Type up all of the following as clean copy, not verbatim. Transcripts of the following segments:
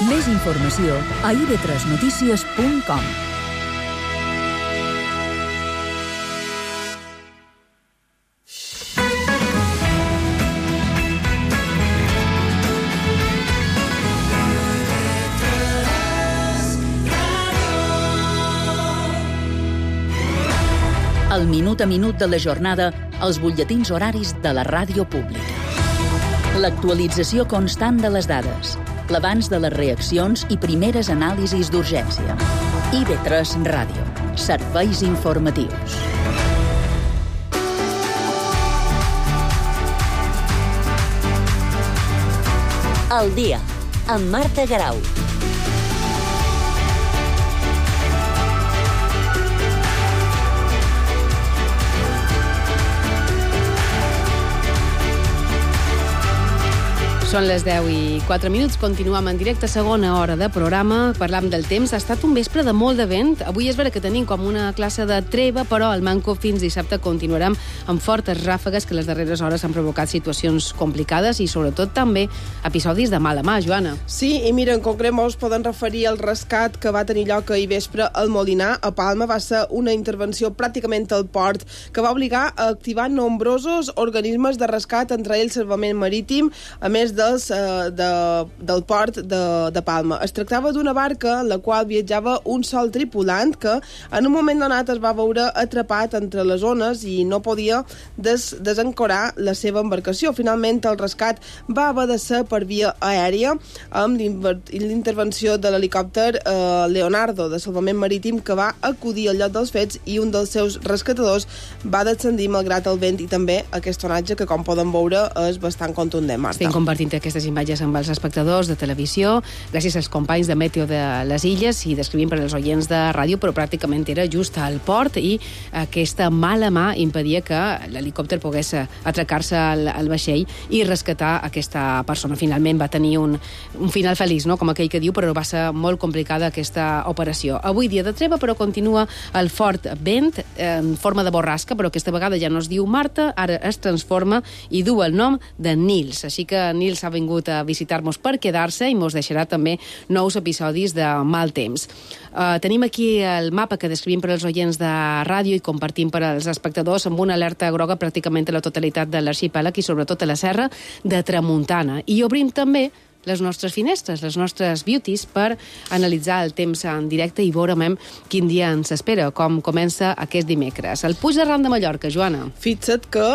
Més informació a ib3notícies.com. El minut a minut de la jornada, els butlletins horaris de la ràdio pública. L'actualització constant de les dades, l'abans de les reaccions i primeres anàlisis d'urgència. IB3 Ràdio. Serveis informatius. El dia, amb Marta Garau. Són les 10:04. Continuem en directe, segona hora de programa. Parlam del temps. Ha estat un vespre de molt de vent. Avui és vera que tenim com una classe de treva, però al Manco fins dissabte continuarem amb fortes ràfegues que les darreres hores han provocat situacions complicades i sobretot també episodis de mala mà, Joana. Sí, i mira, en concret molts poden referir al rescat que va tenir lloc ahir vespre al Molinar, a Palma. Va ser una intervenció pràcticament al port que va obligar a activar nombrosos organismes de rescat, entre ells Salvament Marítim, a més del port de Palma. Es tractava d'una barca en la qual viatjava un sol tripulant que en un moment donat es va veure atrapat entre les ones i no podia desancorar la seva embarcació. Finalment el rescat va haver de ser per via aèria amb l'intervenció de l'helicòpter Leonardo de Salvament Marítim, que va acudir al lloc dels fets i un dels seus rescatadors va descendir malgrat el vent i també aquest onatge que, com poden veure, és bastant contundent, Marta. Estem compartint aquestes imatges amb els espectadors de televisió, gràcies als companys de Meteo de les Illes i descrivint per als oients de ràdio, però pràcticament era just al port i aquesta mala mà impedia que l'helicòpter pogués atracar-se al vaixell i rescatar aquesta persona. Finalment va tenir un final feliç, no? Com aquell que diu, però va ser molt complicada aquesta operació. Avui dia de treva, però continua el fort vent en forma de borrasca, però aquesta vegada ja no es diu Marta, ara es transforma i du el nom de Nils. Així que Nils ha vingut a visitar-nos per quedar-se i mos deixarà també nous episodis de mal temps. Tenim aquí el mapa que descrivim per als oients de ràdio i compartim per als espectadors amb una alerta groga pràcticament a la totalitat de l'arxipèlag i sobretot a la serra de Tramuntana. I obrim també les nostres finestres, les nostres beauties, per analitzar el temps en directe i veurem quin dia ens espera, com comença aquest dimecres. El Puig de Ram de Mallorca, Joana. Fixa't que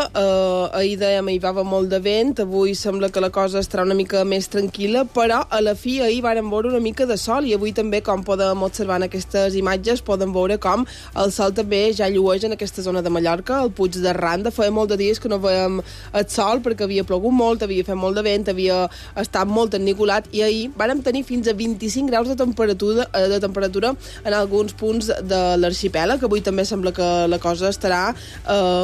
ahir dèiem hi va molt de vent, avui sembla que la cosa estarà una mica més tranquil·la, però a la fi ahir vàrem veure una mica de sol i avui també, com podem observar en aquestes imatges, poden veure com el sol també ja llueix en aquesta zona de Mallorca, el Puig de Randa. Feia molt de dies que no veiem el sol perquè havia plogut molt, havia fet molt de vent, havia estat molt ennicolat i ahir vàrem tenir fins a 25 graus de temperatura en alguns punts de l'arxipèlag. Avui també sembla que la cosa estarà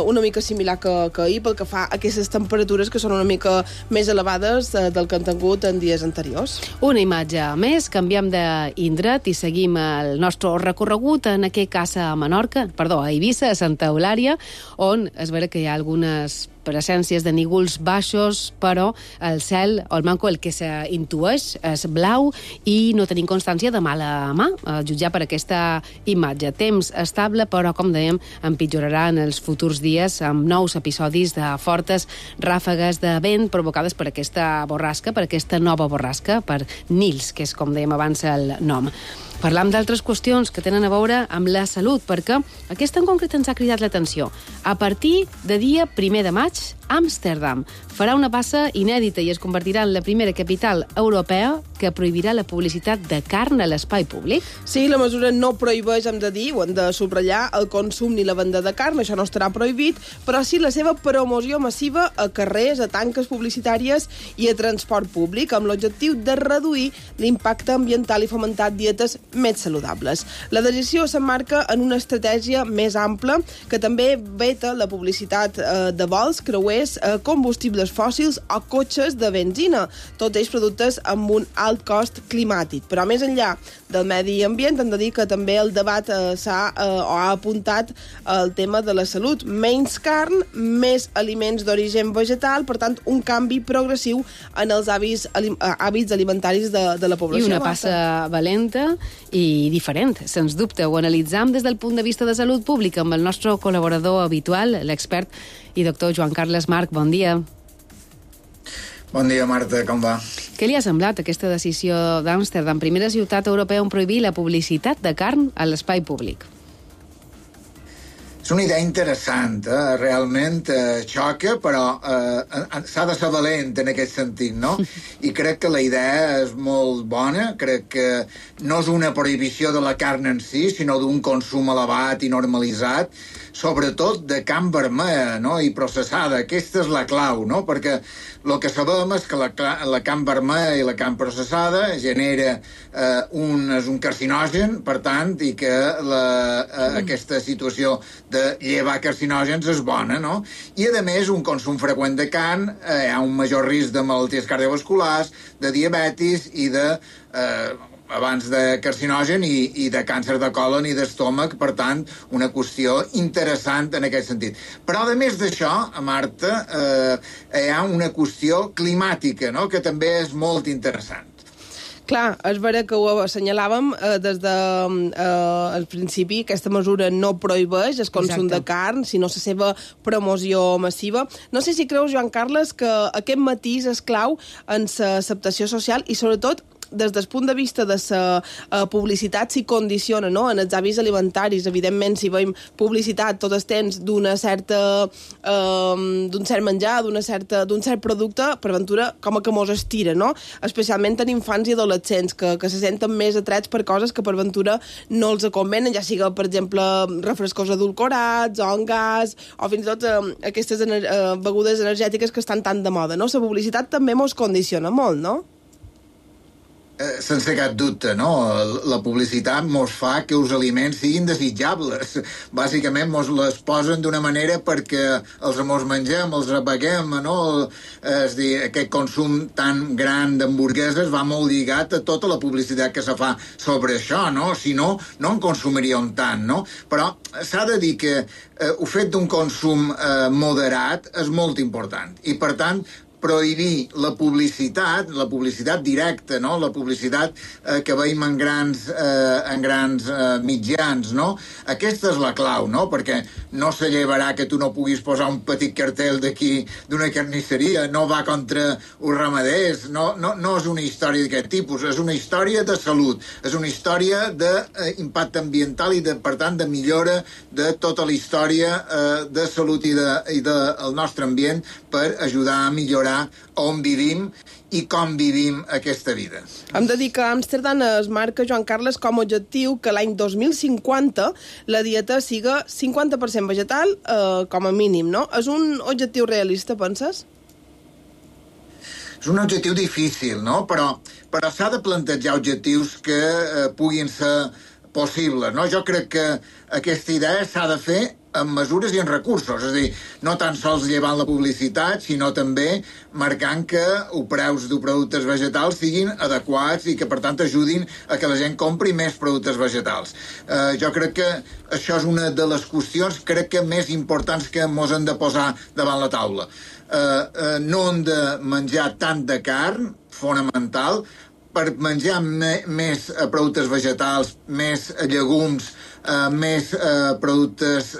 una mica similar que ahir pel que fa a aquestes temperatures que són una mica més elevades del que han tingut en dies anteriors. Una imatge més, canviem d'indret i seguim el nostre recorregut en aquest cas a Eivissa, a Santa Eulària, on es veurà que hi ha algunes presències de nígols baixos, però el cel, o el manco, el que s'intueix és blau i no tenim constància de mala mà, a jutjar per aquesta imatge. Temps estable, però, com dèiem, empitjorarà en els futurs dies amb nous episodis de fortes ràfegues de vent provocades per aquesta borrasca, per aquesta nova borrasca, per Nils, que és, com dèiem abans, el nom. Parlam d'altres qüestions que tenen a veure amb la salut, perquè aquesta en concret ens ha cridat l'atenció. A partir de dia 1 de maig, Amsterdam farà una passa inèdita i es convertirà en la primera capital europea que prohibirà la publicitat de carn a l'espai públic. Sí, la mesura no prohibeix, hem de dir, ho hem de subratllar, el consum ni la venda de carn, això no estarà prohibit, però sí la seva promoció massiva a carrers, a tanques publicitàries i a transport públic, amb l'objectiu de reduir l'impacte ambiental i fomentar dietes més saludables. La decisió s'emmarca en una estratègia més ampla que també veta la publicitat de vols, creuers, combustibles fòssils o cotxes de benzina, tots ells productes amb un alt cost climàtic. Però més enllà del medi ambient, hem de dir que també el debat ha apuntat el tema de la salut. Menys carn, més aliments d'origen vegetal, per tant, un canvi progressiu en els hàbits alimentaris de la població. I una passa valenta i diferent, sens dubte. Ho analitzam des del punt de vista de salut pública amb el nostre col·laborador habitual, l'expert i doctor Joan Carles March. Bon dia. Bon dia, Marta, com va? Què li ha semblat aquesta decisió d'Amsterdam, primera ciutat europea on prohibir la publicitat de carn a l'espai públic? És una idea interessant, realment xoca, però s'ha de ser valent en aquest sentit, no? I crec que la idea és molt bona, crec que no és una prohibició de la carn en si, sinó d'un consum elevat i normalitzat, sobretot de carn vermella, no? I processada. Aquesta és la clau, no? Perquè el que sabem és que la carn vermella i la carn processada genera un carcinogen, per tant, i que aquesta situació de llevar carcinògens és bona, no? I, a més, un consum freqüent de carn hi ha un major risc de malalties cardiovasculars, de diabetis i de abans de carcinogen i de càncer de còlon i d'estómac, per tant, una qüestió interessant en aquest sentit. Però, a més d'això, Marta, hi ha una qüestió climàtica, no?, que també és molt interessant. Clar, és vera que ho assenyalàvem des del principi. Aquesta mesura no prohibeix el consum de carn, sinó la seva promoció massiva. No sé si creus, Joan Carles, que aquest matís és clau en l'acceptació social i, sobretot, des del punt de vista de la publicitat s'hi condiciona, no?, en els hàbits alimentaris. Evidentment, si veiem publicitat tot el temps d'un cert menjar, d'un cert producte, per ventura, com que mos estira, no? Especialment en infants i adolescents, que se senten més atrets per coses que per ventura no els convenen, ja siga, per exemple, refrescos edulcorats, o en gas, o fins i tot aquestes begudes energètiques que estan tan de moda, no? La publicitat també mos condiciona molt, no? Sense cap dubte, no? La publicitat mos fa que els aliments siguin desitjables. Bàsicament mos les posen d'una manera perquè els mengem, els apaguem, no? És a dir, aquest consum tan gran d'hamburgueses va molt lligat a tota la publicitat que se fa sobre això, no? Si no, no en consumiríem tant, no? Però s'ha de dir que el fet d'un consum moderat és molt important i, per tant, prohibir la publicitat directa, no? La publicitat que veiem en grans mitjans, no? Aquesta és la clau, no? Perquè no se llevarà que tu no puguis posar un petit cartell d'aquí d'una carnisseria, no va contra els ramaders, no és una història d'aquest tipus, és una història de salut, és una història d'impacte ambiental i, per tant, de millora de tota la història de salut i del nostre ambient per ajudar a millorar on vivim i com vivim aquesta vida. Hem de dir que Amsterdam es marca, Joan Carles, com a objectiu que l'any 2050 la dieta siga 50% vegetal, com a mínim, no? És un objectiu realista, penses? És un objectiu difícil, no? Però s'ha de plantejar objectius que puguin ser possibles, no? Jo crec que aquesta idea s'ha de fer amb mesures i en recursos, és a dir, no tan sols llevant la publicitat, sinó també marcant que els preus de productes vegetals siguin adequats i que, per tant, ajudin a que la gent compri més productes vegetals. Jo crec que això és una de les qüestions, crec que més importants que mos hem de posar davant la taula. No hem de menjar tant de carn, fonamental, per menjar més productes vegetals, més llegums, més productes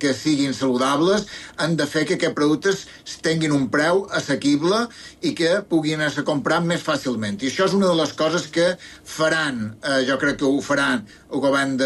que siguin saludables, han de fer que aquests productes tinguin un preu assequible i que puguin ser comprat més fàcilment. I això és una de les coses que faran, jo crec que ho faran el govern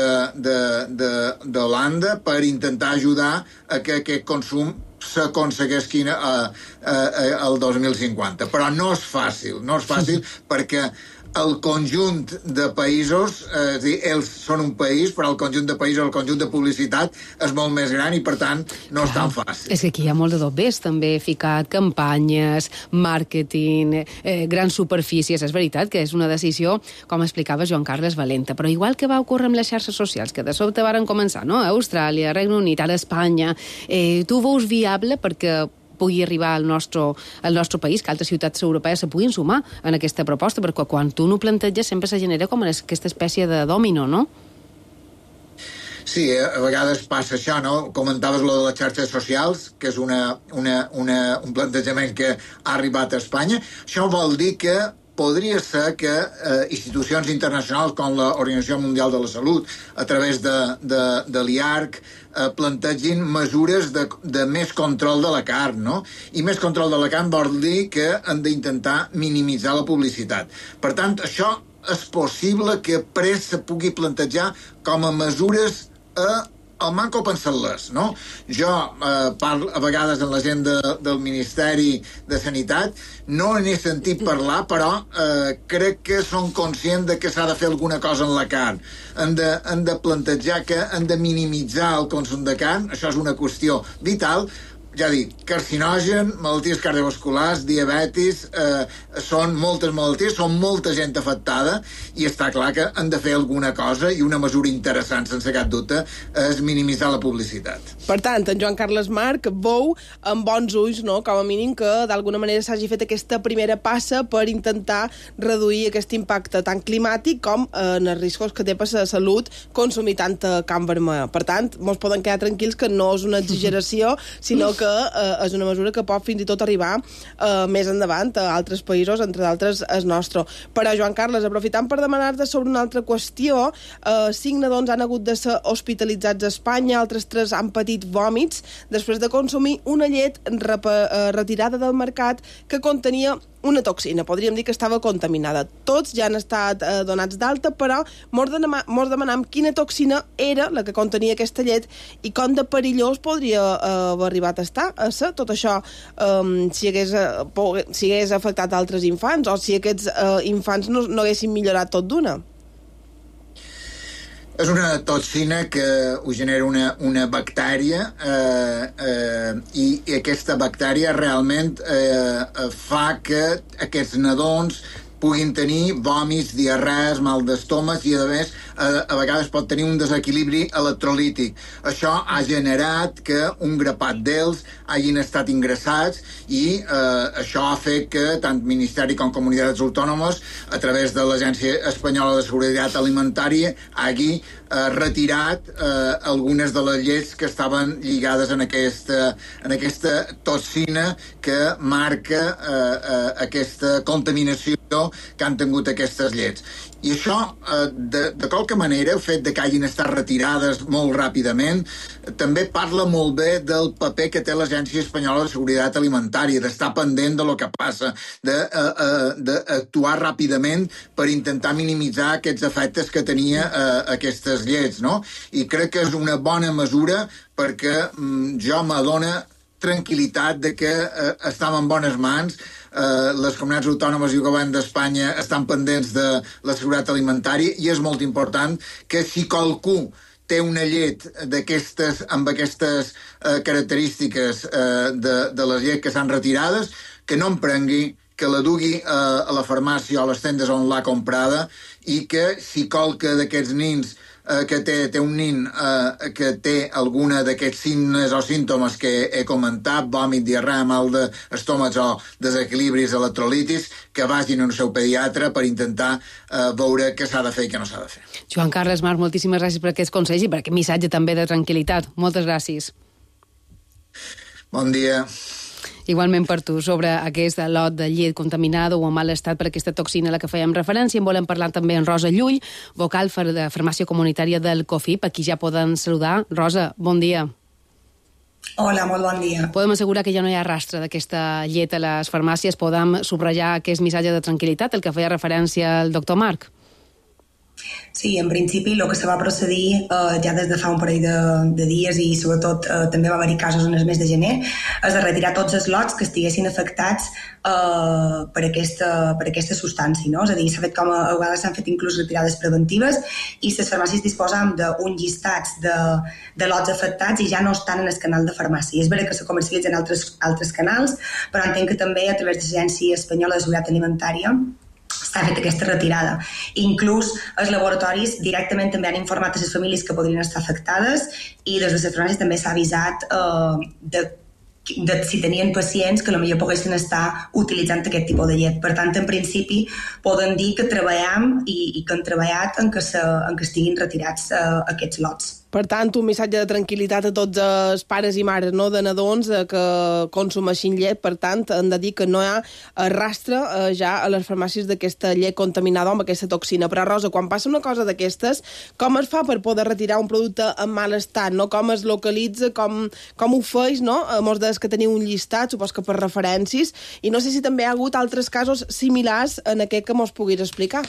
d'Holanda per intentar ajudar a que aquest consum s'aconsegueixin el 2050. Però no és fàcil perquè el conjunt de països, és a dir, ells són un país, però el conjunt de països, el conjunt de publicitat és molt més gran i, per tant, no és tan fàcil. És que aquí hi ha molt de dobbers, també, ficat campanyes, màrqueting, grans superfícies. És veritat que és una decisió, com explicava Joan Carles, valenta, però igual que va ocórrer amb les xarxes socials, que de sobte varen començar, no? A Austràlia, Regne Unit, ara Espanya, tu veus viable perquè pugui arribar al nostre país, que altres ciutats europees se puguin sumar en aquesta proposta, perquè quan tu no planteges sempre se genera com aquesta espècie de dòmino, no? Sí, a vegades passa això, no? Comentaves lo de les xarxes socials, que és un plantejament que ha arribat a Espanya. Això vol dir que podria ser que institucions internacionals com l'Organització Mundial de la Salut, a través de l'IARC, plantegin mesures de més control de la carn, no? I més control de la carn vol dir que han d'intentar minimitzar la publicitat. Per tant, això és possible que pres se pugui plantejar com a mesures al manco pensar-les, no? Jo parlo a vegades en la gent del Ministeri de Sanitat, no n'he sentit parlar, però crec que són conscients de que s'ha de fer alguna cosa en la carn. Han de plantejar que han de minimitzar el consum de carn, això és una qüestió vital. Ja dic, carcinogen, malalties cardiovasculars, diabetis, són moltes malalties, són molta gent afectada, i està clar que han de fer alguna cosa, i una mesura interessant, sense cap dubte, és minimitzar la publicitat. Per tant, en Joan Carles Marc veu amb bons ulls, no?, com a mínim que d'alguna manera s'hagi fet aquesta primera passa per intentar reduir aquest impacte tant climàtic com en els riscos que té per la salut consumir tanta carn vermella. Per tant, ens poden quedar tranquils que no és una exageració, sinó que és una mesura que pot fins i tot arribar més endavant a altres països, entre d'altres el nostre. Però, Joan Carles, aprofitant per demanar-te sobre una altra qüestió, 5 nadons han hagut de ser hospitalitzats a Espanya, altres 3 han patit vòmits després de consumir una llet retirada del mercat que contenia una toxina, podríem dir que estava contaminada. Tots ja han estat donats d'alta, però mos demanam quina toxina era la que contenia aquesta llet i com de perillós podria haver arribat a estar a ser tot això si hagués afectat altres infants o si aquests infants no haguessin millorat tot d'una. És una toxina que ho genera una bactèria i aquesta bactèria realment fa que aquests nadons puguin tenir vòmits, diarrees, mal d'estómac i, a més, a vegades pot tenir un desequilibri electrolític. Això ha generat que un grapat d'ells hagin estat ingressats i això ha fet que tant Ministeri com Comunitats Autònomes, a través de l'Agència Espanyola de Seguretat Alimentària, hagi retirat algunes de les llets que estaven lligades en aquesta toxina que marca aquesta contaminació que han tingut aquestes llets. I això, de qualque manera, el fet de que hagin estat retirades molt ràpidament, també parla molt bé del paper que té l'Agència Espanyola de Seguretat Alimentària, d'estar pendent de lo que passa, d'actuar ràpidament per intentar minimitzar aquests efectes que tenia aquestes llets, no? I crec que és una bona mesura perquè jo m'adona tranquil·litat de que estem en bones mans. Les comunitats autònomes i el govern d'Espanya estan pendents de la seguretat alimentària i és molt important que si qualcú té una llet amb aquestes característiques de les llets que s'han retirades, que no en prengui, que la dugui a la farmàcia o a les tendes on l'ha comprada i que si qualque d'aquests nins que té un nin que té alguna d'aquests signes o símptomes que he comentat, vòmit, diarrea, mal d'estómac o desequilibris electrolítics, que vagin al seu pediatre per intentar veure què s'ha de fer i què no s'ha de fer. Joan Carles Marc, moltíssimes gràcies per aquests consells i per aquest missatge també de tranquil·litat. Moltes gràcies. Bon dia. Igualment per tu, sobre aquest lot de llet contaminada o en mal estat per aquesta toxina a la que fèiem referència. En volem parlar també amb Rosa Llull, vocal de farmàcia comunitària del COFIP. Aquí ja poden saludar. Rosa, bon dia. Hola, molt bon dia. Podem assegurar que ja no hi ha rastre d'aquesta llet a les farmàcies. Podem subratllar aquest missatge de tranquil·litat, el que feia referència el doctor Marc. Sí, en principi el que se va procedir ja des de fa un parell de dies i sobretot també va haver-hi casos en el mes de gener és de retirar tots els lots que estiguessin afectats per aquesta substància, no? És a dir, s'ha fet a vegades s'han fet inclús retirades preventives i les farmàcies disposen d'un llistat de lots afectats i ja no estan en el canal de farmàcia. És veritat que se comercialitzen altres canals, però entenc que també a través de l'Agència Espanyola de Seguretat Alimentària s'ha fet aquesta retirada. Inclús els laboratoris directament també han informat a les famílies que podrien estar afectades i des de les farmàcies també s'ha avisat si tenien pacients que potser poguessin estar utilitzant aquest tipus de llet. Per tant, en principi, poden dir que treballem i que han treballat en que estiguin retirats aquests lots. Per tant, un missatge de tranquil·litat a tots els pares i mares, no, de nadons que consumeixin llet. Per tant, han de dir que no hi ha rastre ja a les farmàcies d'aquesta llet contaminada amb aquesta toxina. Però, Rosa, quan passa una cosa d'aquestes, com es fa per poder retirar un producte en mal estat, no? Com es localitza, com ho feis, no? Molts dels que teniu un llistat, supos que per referències, i no sé si també hi ha hagut altres casos similars en aquest que mos puguis explicar.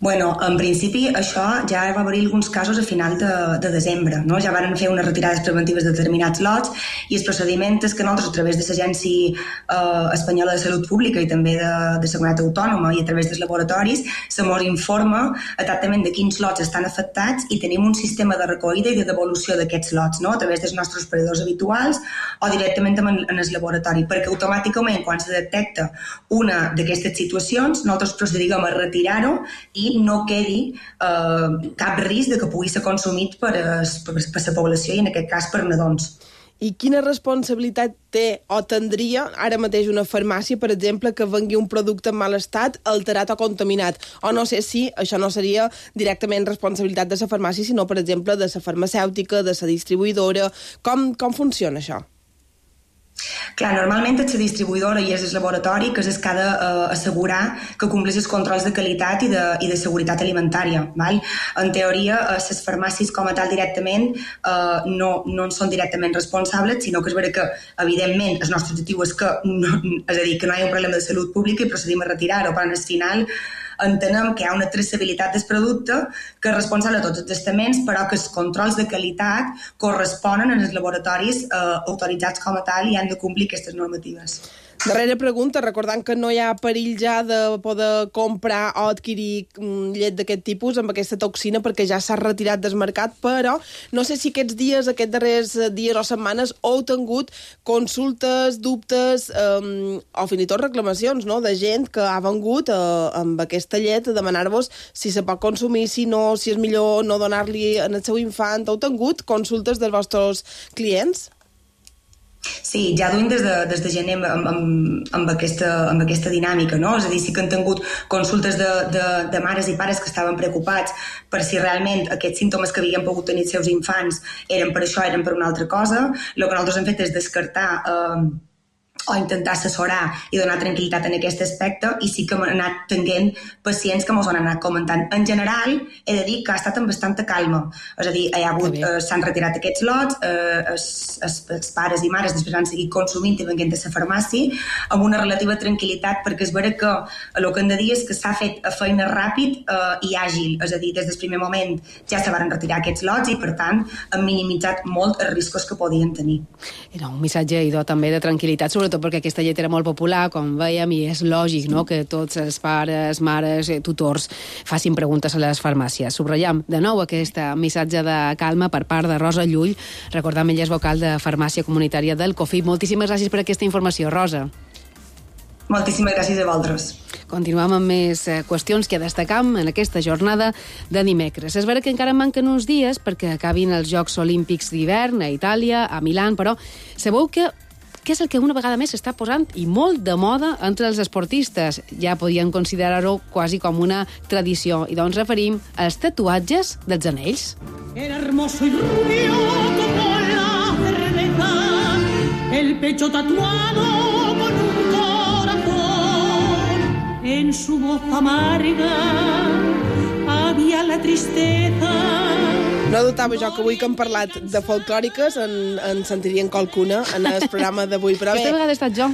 Bueno, en principi això ja va haver-hi alguns casos a final de desembre, no? Ja van fer unes retirades preventives de determinats lots i el procediment és que nosaltres a través de l'Agència Espanyola de Salut Pública i també de Seguretat Autònoma i a través dels laboratoris se mos informa exactament de quins lots estan afectats i tenim un sistema de recollida i de devolució d'aquests lots, no? A través dels nostres operadors habituals o directament en el laboratori, perquè automàticament quan se detecta una d'aquestes situacions nosaltres procedim a retirar-ho i no quedi cap risc de que pugui ser consumit per la població i en aquest cas per nadons. I quina responsabilitat té o tindria ara mateix una farmàcia, per exemple, que vengui un producte en mal estat, alterat o contaminat? O no sé si això no seria directament responsabilitat de la farmàcia, sinó, per exemple, de la farmacèutica, de la distribuïdora. Com funciona això? Clar, normalment és la distribuïdora i és el laboratori que és el que ha d'assegurar que compleix els controls de qualitat i de seguretat alimentària. Val? En teoria, les farmàcies com a tal directament no en són directament responsables, sinó que és vera que, evidentment, el nostre objectiu és que no hi ha un problema de salut pública i procedim a retirar-ho, però al final entenem que hi ha una traçabilitat del producte que és responsable de tots els estaments, però que els controls de qualitat corresponen als laboratoris autoritzats com a tal i han de complir aquestes normatives. Darrera pregunta, recordant que no hi ha perill ja de poder comprar o adquirir llet d'aquest tipus amb aquesta toxina perquè ja s'ha retirat del mercat, però no sé si aquests darrers dies o setmanes heu tingut consultes, dubtes o fins i tot reclamacions, no?, de gent que ha vengut amb aquesta llet a demanar-vos si se pot consumir, si no, si és millor no donar-li al seu infant. Heu tingut consultes dels vostres clients? Sí, ja duim des de gener amb aquesta dinàmica, no? És a dir, sí que han tingut consultes de mares i pares que estaven preocupats per si realment aquests símptomes que havien pogut tenir els seus infants eren per això, eren per una altra cosa. El que nosaltres hem fet és descartar o intentar assessorar i donar tranquil·litat en aquest aspecte, i sí que hem anat tenint pacients que ens han anat comentant. En general, he de dir que ha estat amb bastanta calma. És a dir, s'han retirat aquests lots, els pares i mares després han seguit consumint i venint a la farmàcia amb una relativa tranquil·litat, perquè és vera que el que hem de dir és que s'ha fet a feina ràpid i àgil. És a dir, des del primer moment ja se van retirar aquests lots i, per tant, han minimitzat molt els riscos que podien tenir. Era un missatge, idò, també de tranquil·litat, sobretot perquè aquesta llet era molt popular, com veiem, i és lògic, no?, que tots els pares, mares, tutors facin preguntes a les farmàcies. Subratllem de nou aquest missatge de calma per part de Rosa Llull, recordant ella és vocal de Farmàcia Comunitària del COFIP. Moltíssimes gràcies per aquesta informació, Rosa. Moltíssimes gràcies a vosaltres. Continuem amb més qüestions que destacam en aquesta jornada de dimecres. És vera que encara manquen uns dies perquè acabin els Jocs Olímpics d'hivern a Itàlia, a Milà, però sabeu que és el que una vegada més s'està posant i molt de moda entre els esportistes. Ja podien considerar-ho quasi com una tradició. I doncs referim als tatuatges dels anells. Era hermoso y rubio como la cerveza, el pecho tatuado con un corazón, en su voz amarga había la tristeza. No dubtava jo que avui que hem parlat de folclòriques en sentirien qualcuna en el programa d'avui, però bé... Aquesta vegada he estat jo.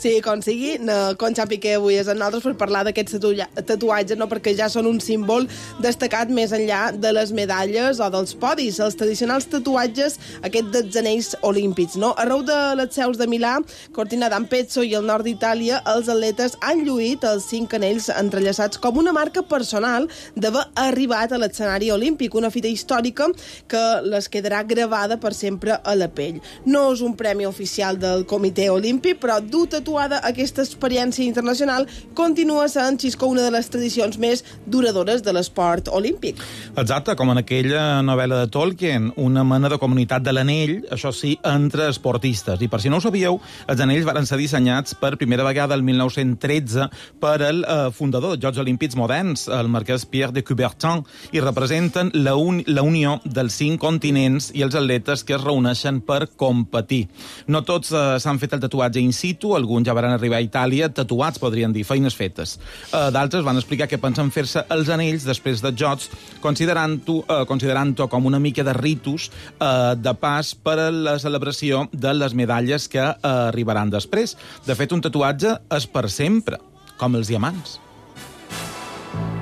Sí, com sigui, Conxa Piqué avui és amb nosaltres per parlar d'aquests tatuatges, no? Perquè ja són un símbol destacat més enllà de les medalles o dels podis, els tradicionals tatuatges, aquests dels anells olímpics, no? Arreu de les seus de Milà, Cortina d'Ampezzo i el nord d'Itàlia, els atletes han lluït els 5 anells entrellaçats com una marca personal d'haver arribat a l'escenari olímpic. olímpic, una fita històrica que les quedarà gravada per sempre a la pell. No és un premi oficial del Comitè Olímpic, però dur tatuada aquesta experiència internacional continua sent, Xisco, una de les tradicions més duradores de l'esport olímpic. Exacte, com en aquella novel·la de Tolkien, una mena de comunitat de l'anell, això sí, entre esportistes. I per si no ho sabíeu, els anells van ser dissenyats per primera vegada el 1913 per el fundador dels Jocs Olímpics moderns, el marquès Pierre de Coubertin, i representen la unió dels 5 continents i els atletes que es reuneixen per competir. No tots s'han fet el tatuatge in situ, alguns ja van arribar a Itàlia tatuats, podrien dir, feines fetes. D'altres van explicar que pensen fer-se els anells després dels Jocs, considerant-ho com una mica de ritus de pas per a la celebració de les medalles que arribaran després. De fet, un tatuatge és per sempre, com els diamants.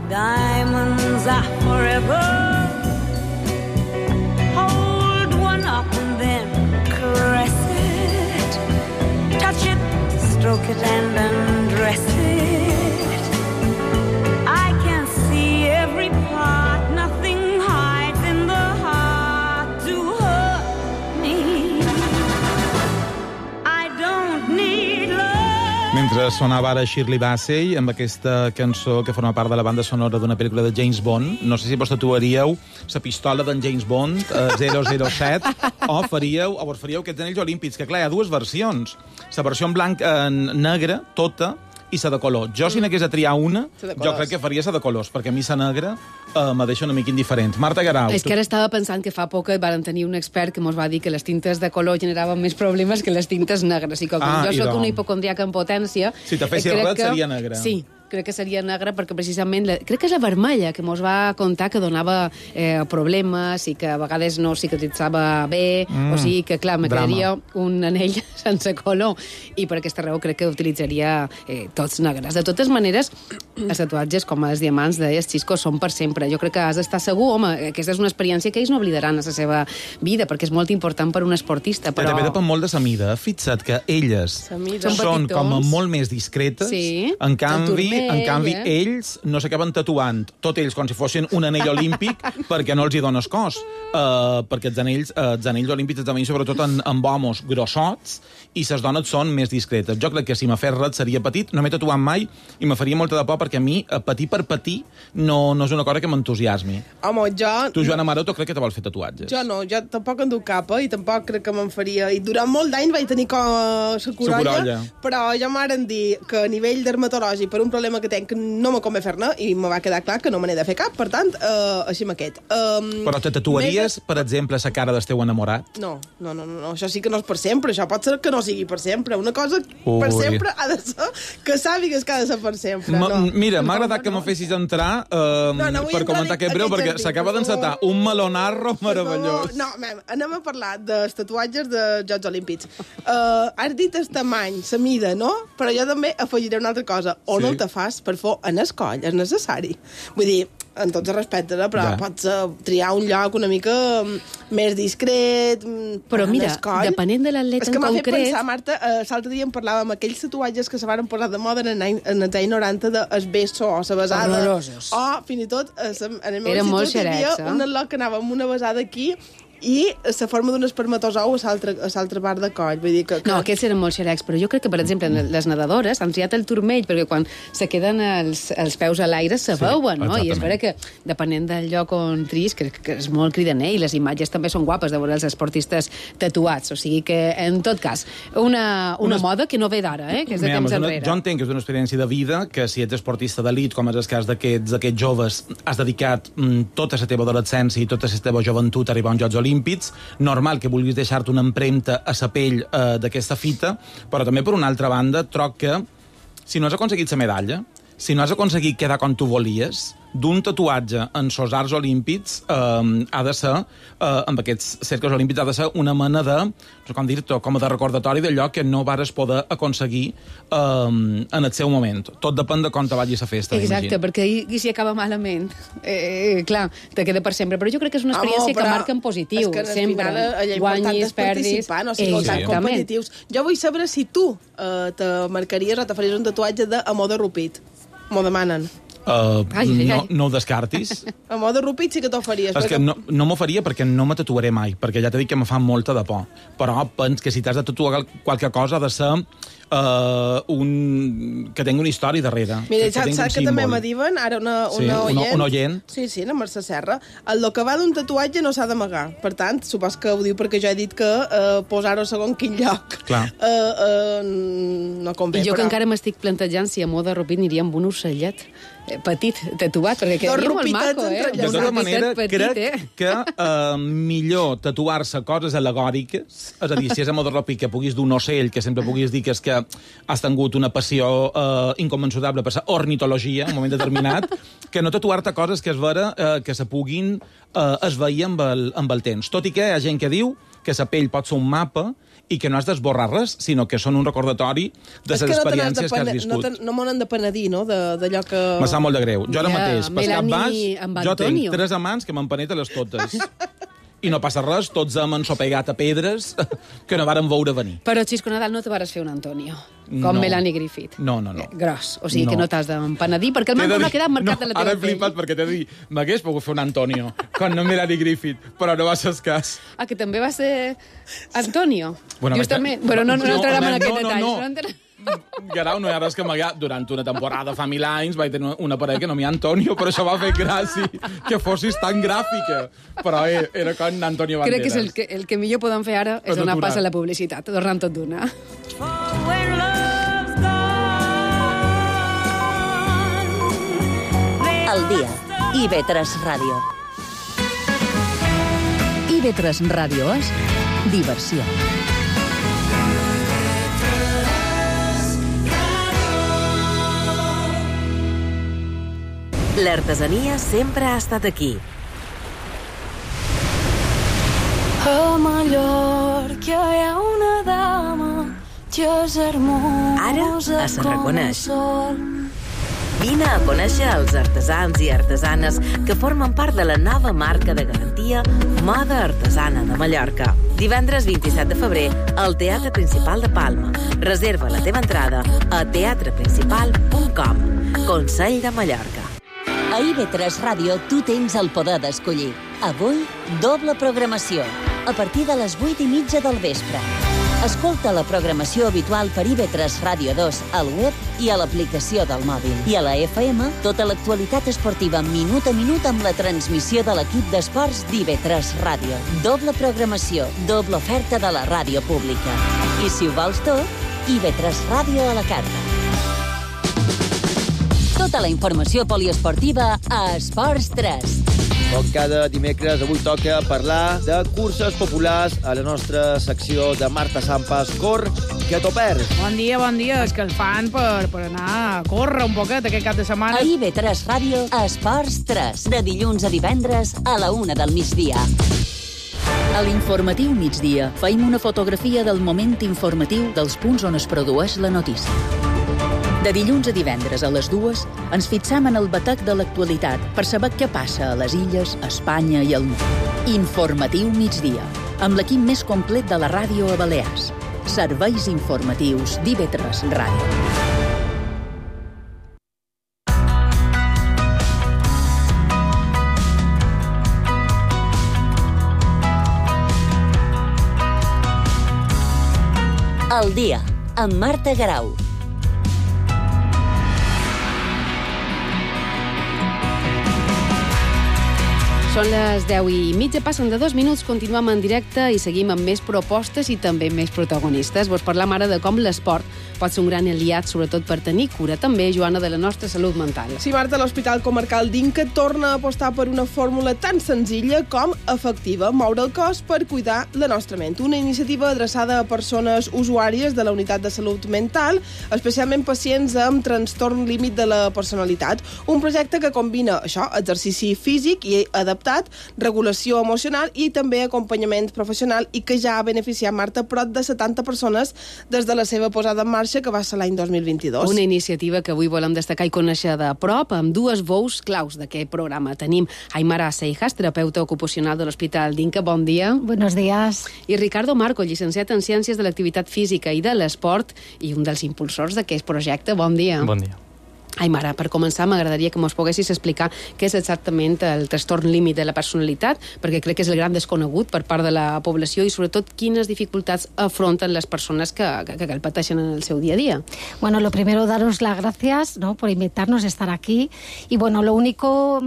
Diamonds are forever. Hold one up and then caress it. Touch it, stroke it and undress it. I can see every part, nothing hides in the heart to hurt me. I don't need love. Mentre sonava ara Shirley Bassey amb aquesta cançó que forma part de la banda sonora d'una pel·lícula de James Bond, no sé si vos tatuaríeu la pistola d'en James Bond, 007, o faríeu aquests anells olímpics, que clar, hi ha dues versions. La versió en blanc negra, tota, i la de color. Jo, si n'hagués a triar una, jo crec que faria la de colors, perquè a mi la negra me deixa una mica indiferent. Marta Guerau. És que ara estava pensant que fa poc van tenir un expert que ens va dir que les tintes de color generaven més problemes que les tintes negres. I com jo soc una hipocondriaca en potència... Si te fessis ret, seria negra. Sí, crec que seria negra perquè precisament... Crec que és la vermella que ens va contar que donava problemes i que a vegades no cicatritzava bé, o sigui que, clar, me quedaria un anell sense color i per aquesta raó crec que utilitzaria tots negres. De totes maneres, els tatuatges, com els diamants, deies, Xisco, són per sempre. Jo crec que has d'estar segur, home, aquesta és una experiència que ells no oblidaran a la seva vida, perquè és molt important per un esportista, però... També depèn molt de la mida. Fixa't que elles són com a molt més discretes, en canvi, ells no s'acaben tatuant, tot ells com si fossin un anell olímpic, perquè no els hi dones cos. Perquè els anells olímpics esdevenen sobretot amb homes grossots i les dones són més discretes. Jo crec que si me fes res seria petit, no m'he tatuat mai i me faria molta de por perquè a mi, patir per patir, no és una cosa que m'entusiasmi. Home, jo... Tu, Joana Maroto, crec que te vols fer tatuatges. Jo no, jo tampoc en duc cap, i tampoc crec que me'n faria. I durant molt d'any vaig tenir com la corolla, però ja m'han dit que a nivell dermatològic, per un problema que tenc, no me convé fer-ne, i me va quedar clar que no me n'he de fer cap, per tant, així amb aquest. Però te tatuaries, per exemple, la cara del teu enamorat? No, això sí que no és per sempre, això pot ser que no sigui per sempre. Una cosa per sempre ha de ser que sàpigues que ha de ser per sempre. Mira, m'ha agradat que me fessis entrar per comentar aquest breu, perquè s'acaba d'encetar un melonarro meravellós. No, anem a parlar dels tatuatges dels Jocs Olímpics. Has dit el tamany, la mida, no? Però jo també afegiré una altra cosa. O no te fas per fer en el coll, és necessari. Vull dir, en tots els respectes, però pots triar un lloc una mica més discret. Però mira, depenent de l'atleta en concret... És que m'ha fet pensar, Marta, l'altre dia en parlàvem aquells tatuatges que se van posar de moda en els anys 90 del beso o la besada. Horrorosos. O, fins i tot, en el meu institut hi havia un atlot que anava amb una besada aquí i la forma d'un espermatozou a l'altra part de coll. Vull dir que... No, aquests eren molt xerecs, però jo crec que, per exemple, les nedadores han triat el turmell, perquè quan se queden els peus a l'aire se veuen, no? I és vera que, depenent del lloc on tris, crec que és molt cridaner, i les imatges també són guapes de veure els esportistes tatuats. O sigui que, en tot cas, una moda que no ve d'ara, que és de temps enrere. Jo entenc que és una experiència de vida, que si ets esportista d'elit, com és el cas d'aquests joves, has dedicat tota la teva adolescència i tota la teva joventut a arribar a uns Jocs Olímpics, normal que vulguis deixar-te una empremta a la pell d'aquesta fita, però també, per una altra banda, troc que si no has aconseguit la medalla, si no has aconseguit quedar com tu volies, d'un tatuatge en els arts olímpics ha de ser, amb aquests cercles olímpics, ha de ser una mena de, no sé com dir-te, com a de recordatori d'allò que no vares poder aconseguir en el seu moment. Tot depèn de com te vagi la festa. Exacte, perquè i si acaba malament, clar, te queda per sempre. Però jo crec que és una experiència que marca en positiu. És que sempre guanyis, perdis... No sigueu tan competitius. Jo vull saber si tu te marcaries o te faries un tatuatge d'amor de rupit. M'ho demanen. No ho descartis. A mode rupit sí que t'ho faries. És que no m'ho faria perquè no me tatuaré mai, perquè ja t'he dit que me fa molta de por. Però pens que si t'has de tatuar qualque cosa ha de ser que tingui una història darrere. Mira, saps que també me diuen, ara una oient. Sí, la Mercè Serra. El que va d'un tatuatge no s'ha d'amagar. Per tant, supos que ho diu perquè jo he dit que posar-ho segon quin lloc no convé. I jo que encara m'estic plantejant si a moda rupit aniria amb un ocellet petit, tatuat, perquè quedaria molt maco, De tota manera, crec que millor tatuar-se coses al·legòriques, és a dir, si és a moda rupit que puguis d'un ocell, que sempre puguis dir que és que has tingut una passió inconmensurable per la ornitologia en un moment determinat, que no tatuar-te coses que es vera que se puguin esvair amb el temps. Tot i que hi ha gent que diu que la pell pot ser un mapa i que no has d'esborrar res, sinó que són un recordatori de les experiències que has viscut. No m'ho n'han de penedir, no?, d'allò que... Me sap molt de greu. Jo ara mateix, per cap baix, jo tinc 3 amants que m'empeneten les totes. I no passa res, tots hem ensopegat a pedres que no varen veure venir. Però, Xisco Nadal, no te vares fer un Antonio, com Melanie Griffith. No. Gros, o sigui que no t'has d'empenedir, perquè el manco no ha quedat marcat a la teva pell. Ara he flipat perquè t'he dit, m'hagués pogut fer un Antonio, com no Melanie Griffith, però no va ser el cas. Ah, que també va ser Antonio? Justament. Però no entrarem en aquest detall. Garau, no hi ha res que amagar. Durant una temporada fa 1000 anys vaig tenir una parella que no m'hi Antonio, però això va fer gràcia que fossis tan gràfica. Però era com Antonio Banderas. Crec que el que millor podem fer ara és donar pas a la publicitat, tornant tot d'una. El dia. IB3 Ràdio. IB3 Ràdio és diversió. L'artesania sempre ha estat aquí. A Mallorca hi ha una dama que és hermosa. Ara es reconeix. Vine a conèixer els artesans i artesanes que formen part de la nova marca de garantia Moda Artesana de Mallorca. Divendres 27 de febrer al Teatre Principal de Palma. Reserva la teva entrada a teatreprincipal.com. Consell de Mallorca. A IB3 Ràdio tu tens el poder d'escollir. Avui, doble programació, a partir de les 8:30 del vespre. Escolta la programació habitual per IB3 Ràdio 2 al web i a l'aplicació del mòbil. I a la FM, tota l'actualitat esportiva minut a minut amb la transmissió de l'equip d'esports d'IB3 Ràdio. Doble programació, doble oferta de la ràdio pública. I si ho vols tot, IB3 Ràdio a la carta. Tota la informació poliesportiva a Esports 3. Com cada dimecres, avui toca parlar de curses populars a la nostra secció de Marta Sampas. Cor, que t'ho perds. Bon dia. És que el fan per anar a córrer un poquet aquest cap de setmana. A IB3 Ràdio, Esports 3. De dilluns a divendres a la 1 del migdia. A l'informatiu migdia feim una fotografia del moment informatiu dels punts on es produeix la notícia. De dilluns a divendres a les 2 ens fixam en el batec de l'actualitat per saber què passa a les illes, a Espanya i al món. Informatiu migdia, amb l'equip més complet de la ràdio a Balears. Serveis informatius d'IB3 Ràdio. El dia, amb Marta Garau. Són les 10:30, passen de 2 minuts, continuem en directe i seguim amb més propostes i també més protagonistes. Vos parlam ara de com l'esport pot ser un gran aliat, sobretot per tenir cura també, Joana, de la nostra salut mental. Sí, Marta, l'Hospital Comarcal d'Inca torna a apostar per una fórmula tan senzilla com efectiva, moure el cos per cuidar la nostra ment. Una iniciativa adreçada a persones usuàries de la unitat de salut mental, especialment pacients amb trastorn límit de la personalitat. Un projecte que combina això, exercici físic i adaptat, regulació emocional i també acompanyament professional i que ja ha beneficiat, Marta, prop de 70 persones des de la seva posada en marxa, que va ser l'any 2022. Una iniciativa que avui volem destacar i conèixer de prop amb dues veus claus d'aquest programa. Tenim Aymara Seijas, terapeuta ocupacional de l'Hospital d'Inca. Bon dia. Buenos días. I Ricardo Marco, llicenciat en Ciències de l'Activitat Física i de l'Esport i un dels impulsors d'aquest projecte. Bon dia. Bon dia. Aimara, per començar, m'agradaria que mos poguessis explicar què és exactament el trastorn límit de la personalitat, perquè crec que és el gran desconegut per part de la població i, sobretot, quines dificultats afronten les persones que el pateixen en el seu dia a día. Bueno, lo primero, daros las gracias, ¿no?, por invitarnos a estar aquí. Y, bueno, lo único,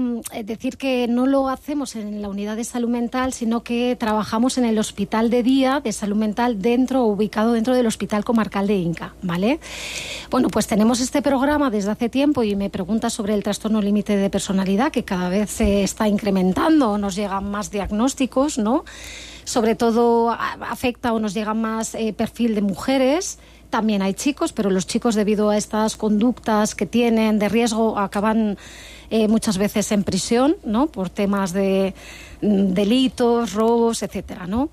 decir que no lo hacemos en la unidad de salud mental, sino que trabajamos en el hospital de día de salud mental ubicado dentro del Hospital Comarcal de Inca, ¿vale? Bueno, pues tenemos este programa desde hace tiempo y me pregunta sobre el trastorno límite de personalidad, que cada vez se está incrementando, nos llegan más diagnósticos, ¿no? Sobre todo afecta o nos llega más perfil de mujeres. También hay chicos, pero los chicos, debido a estas conductas que tienen de riesgo, acaban muchas veces en prisión, ¿no?, por temas de delitos, robos, etcétera, ¿no?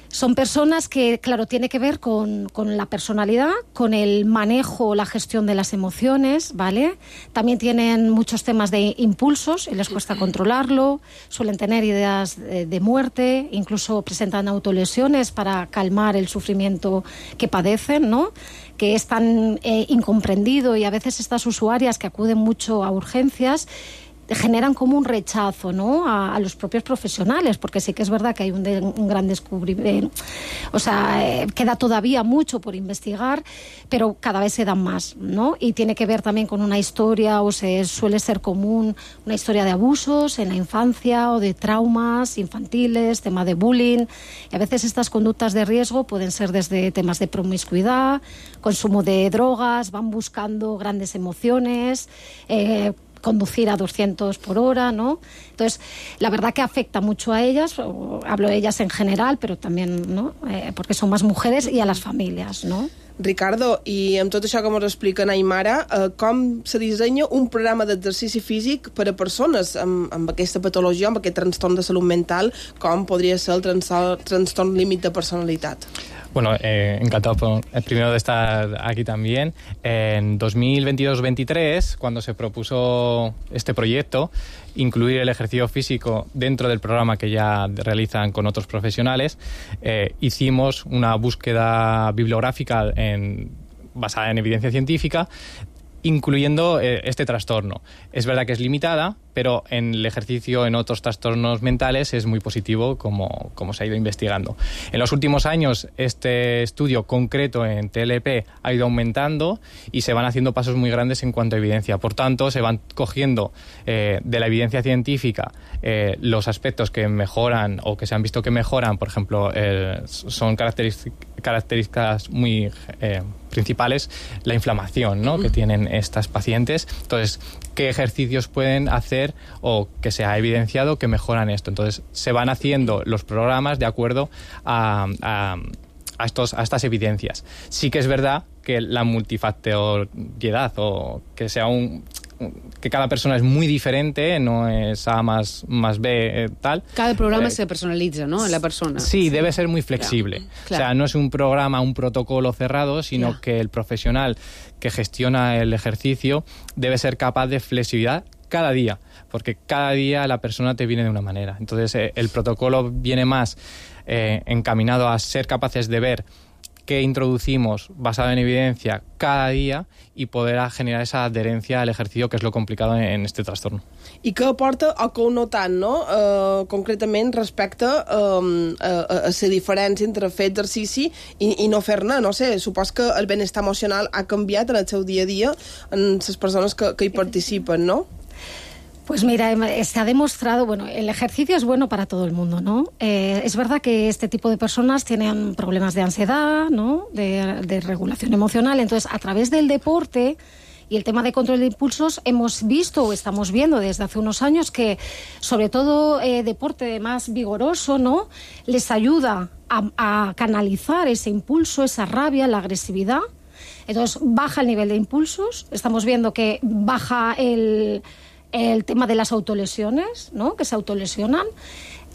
Son personas que, claro, tiene que ver con la personalidad, con el manejo, la gestión de las emociones, ¿vale? También tienen muchos temas de impulsos y les cuesta controlarlo, suelen tener ideas de muerte, incluso presentan autolesiones para calmar el sufrimiento que padecen, ¿no?, que es tan incomprendido, y a veces estas usuarias que acuden mucho a urgencias generan como un rechazo, ¿no?, a los propios profesionales, porque sí que es verdad que hay un gran descubrimiento, o sea, queda todavía mucho por investigar, pero cada vez se dan más, ¿no? Y tiene que ver también con una historia, o suele ser común, una historia de abusos en la infancia o de traumas infantiles, tema de bullying, y a veces estas conductas de riesgo pueden ser desde temas de promiscuidad, consumo de drogas, van buscando grandes emociones, conducir a 200 por hora, ¿no? Entonces, la verdad que afecta mucho a ellas, hablo de ellas en general, pero también, ¿no?, porque son más mujeres, y a las familias, ¿no? Ricardo, i amb tot això que ens explica Aimara, com se dissenya un programa d'exercici físic per a persones amb aquesta patologia, amb aquest trastorn de salut mental, com podria ser el trastorn límit de personalitat? Bueno, encantado primero de estar aquí también. En 2022-23, cuando se propuso este proyecto, incluir el ejercicio físico dentro del programa que ya realizan con otros profesionales, hicimos una búsqueda bibliográfica basada en evidencia científica, incluyendo este trastorno. Es verdad que es limitada, pero en el ejercicio en otros trastornos mentales es muy positivo, como se ha ido investigando. En los últimos años, este estudio concreto en TLP ha ido aumentando y se van haciendo pasos muy grandes en cuanto a evidencia. Por tanto, se van cogiendo de la evidencia científica los aspectos que mejoran o que se han visto que mejoran. Por ejemplo, son características muy principales, la inflamación, ¿no?, que tienen estas pacientes. Entonces, ¿qué ejercicios pueden hacer o que se ha evidenciado que mejoran esto? Entonces, se van haciendo los programas de acuerdo a estas evidencias. Sí que es verdad que la multifactoriedad, o que sea que cada persona es muy diferente, no es A más B, tal. Cada programa se personalitza, ¿no?, en la persona. Sí, debe ser muy flexible. Claro. O sea, no es un programa, un protocolo cerrado, sino que el profesional que gestiona el ejercicio debe ser capaz de flexibilidad cada día, porque cada día la persona te viene de una manera. Entonces, el protocolo viene más encaminado a ser capaces de ver qué introducimos basado en evidencia cada día y poder generar esa adherencia al ejercicio, que és lo complicado en este trastorno. I què aporta o què no tant, no? Concretament respecte a la diferència entre fer exercici i no fer-ne, no sé, supos que el benestar emocional ha canviat en el seu dia a dia en les persones que hi participen, no? Pues mira, se ha demostrado, bueno, el ejercicio es bueno para todo el mundo, ¿no? Es verdad que este tipo de personas tienen problemas de ansiedad, ¿no?, de regulación emocional. Entonces, a través del deporte y el tema de control de impulsos, hemos visto o estamos viendo desde hace unos años que, sobre todo, deporte más vigoroso, ¿no?, les ayuda a canalizar ese impulso, esa rabia, la agresividad. Entonces, baja el nivel de impulsos. Estamos viendo que baja el tema de las autolesiones, ¿no?, que se autolesionan.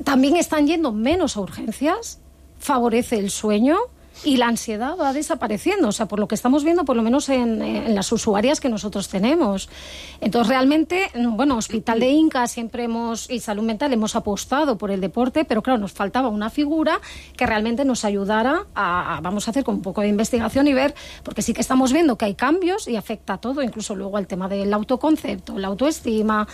También están yendo menos a urgencias, favorece el sueño. y la ansiedad va desapareciendo, o sea, por lo que estamos viendo, por lo menos en las usuarias que nosotros tenemos. Entonces, realmente, bueno, Hospital de Inca y Salud Mental hemos apostado por el deporte, pero claro, nos faltaba una figura que realmente nos ayudara vamos a hacer con un poco de investigación y ver, porque sí que estamos viendo que hay cambios y afecta a todo, incluso luego al tema del autoconcepto, la autoestima,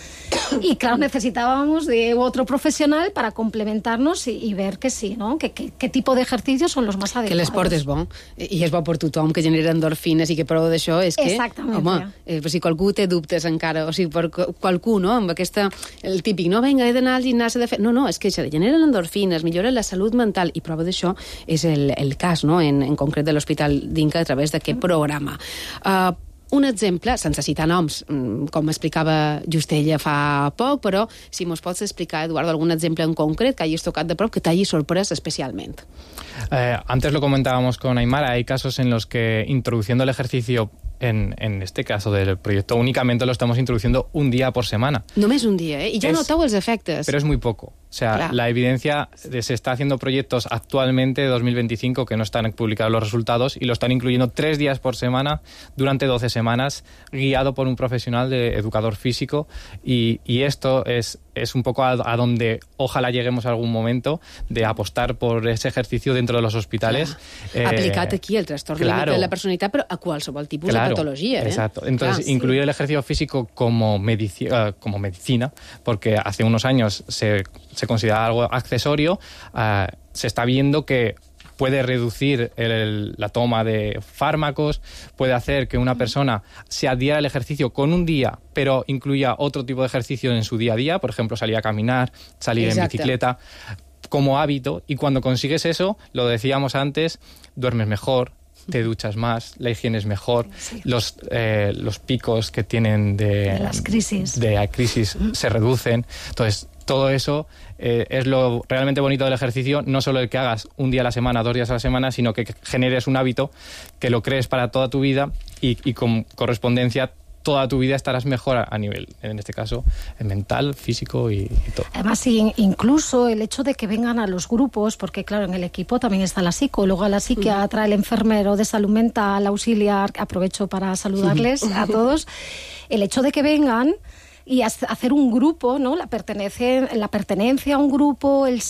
y claro, necesitábamos de otro profesional para complementarnos i ver que sí, no? Que tipo d'exercicis són els més adequats. Que l'esport és bo, i és bo per tothom, que genera endorfines, i que prou d'això és que... Exactament. Home, si qualcú té dubtes encara, o sigui, per qualcú, no?, amb aquesta... El típic, no, vinga, he d'anar al gimnàs de fer... No, és que genera endorfines, millora la salut mental, i prova d'això és el cas, no?, en concret de l'Hospital d'Inca a través d'aquest programa. Un exemple, sense citar noms, com explicava Justella fa poc, però si mos pots explicar, Eduardo, algun exemple en concret que hagis tocat de prop, que t'hagi sorprès especialment. Antes lo comentábamos con Aymara, hay casos en los que introduciendo el ejercicio, en este caso del proyecto, únicamente lo estamos introduciendo un día por semana. Només un dia, I ja noteu els efectes. Pero es muy poco. O sea, la evidencia, se está haciendo proyectos actualmente de 2025 que no están publicados los resultados y lo están incluyendo 3 días por semana durante 12 semanas, guiado por un profesional de educador físico, y esto es un poco a donde ojalá lleguemos a algún momento, de apostar por ese ejercicio dentro de los hospitales. Aplicat aquí el trastorno de la personalitat, però a qualsevol tipus de patologia. Exacto. Entonces, incluir el ejercicio físico como medicina, porque hace unos años se considera algo accesorio, se está viendo que puede reducir la toma de fármacos, puede hacer que una persona se adhiera al ejercicio con un día, pero incluya otro tipo de ejercicio en su día a día, por ejemplo, salir a caminar, salir en bicicleta, como hábito, y cuando consigues eso, lo decíamos antes, duermes mejor, te duchas más, la higiene es mejor, los picos que tienen de las crisis se reducen. Entonces, todo eso es lo realmente bonito del ejercicio, no solo el que hagas un día a la semana, 2 días a la semana, sino que generes un hábito, que lo crees para toda tu vida y con correspondencia toda tu vida estarás mejor a nivel, en este caso, mental, físico y todo. Además, incluso el hecho de que vengan a los grupos, porque claro, en el equipo también está la psicóloga, la psiquiatra, el enfermero de salud mental, auxiliar, aprovecho para saludarles a todos, el hecho de que vengan y hacer un grupo, ¿no? La pertenencia a un grupo, el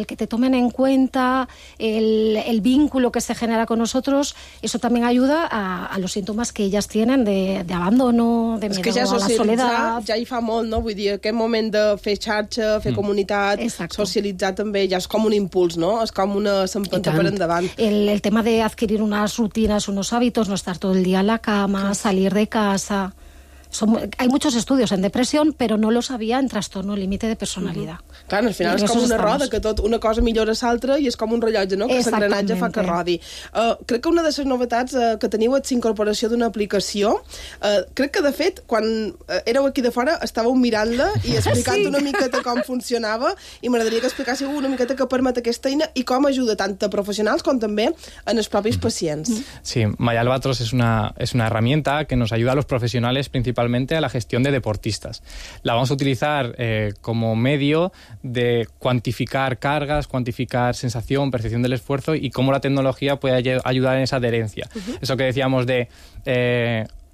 que te tomen en cuenta, el vínculo que se genera con nosotros, eso también ayuda a los síntomas que ellas tienen de abandono, de miedo a la soledad. Ja hi fa molt, no? Vull dir, aquest moment de fer xarxa, fer comunitat, socialitzar també, ja és com un impuls, no? És com una s'empenta per endavant. El tema de adquirir unas rutinas, unos hábitos, no estar todo el día en la cama, salir de casa... Hay muchos estudios en depresión, però no los había en trastorno límite de personalitat. Clar, al final és com una roda, que tot una cosa millora l'altra i és com un rellotge, no? Que l'engranatge fa que rodi. Crec que una de les novetats que teniu és l'incorporació d'una aplicació. Crec que, de fet, quan éreu aquí de fora, estàveu mirant-la i explicant una miqueta com funcionava, i m'agradaria que explicássiu una miqueta què permet aquesta eina i com ajuda tant a professionals com també en els propis pacients. Sí, MyAlbatros es una herramienta que nos ayuda a los profesionales principalmente a la gestión de deportistas. La vamos a utilizar como medio de cuantificar cargas, cuantificar sensación, percepción del esfuerzo y cómo la tecnología puede ayudar en esa adherencia. Eso que decíamos de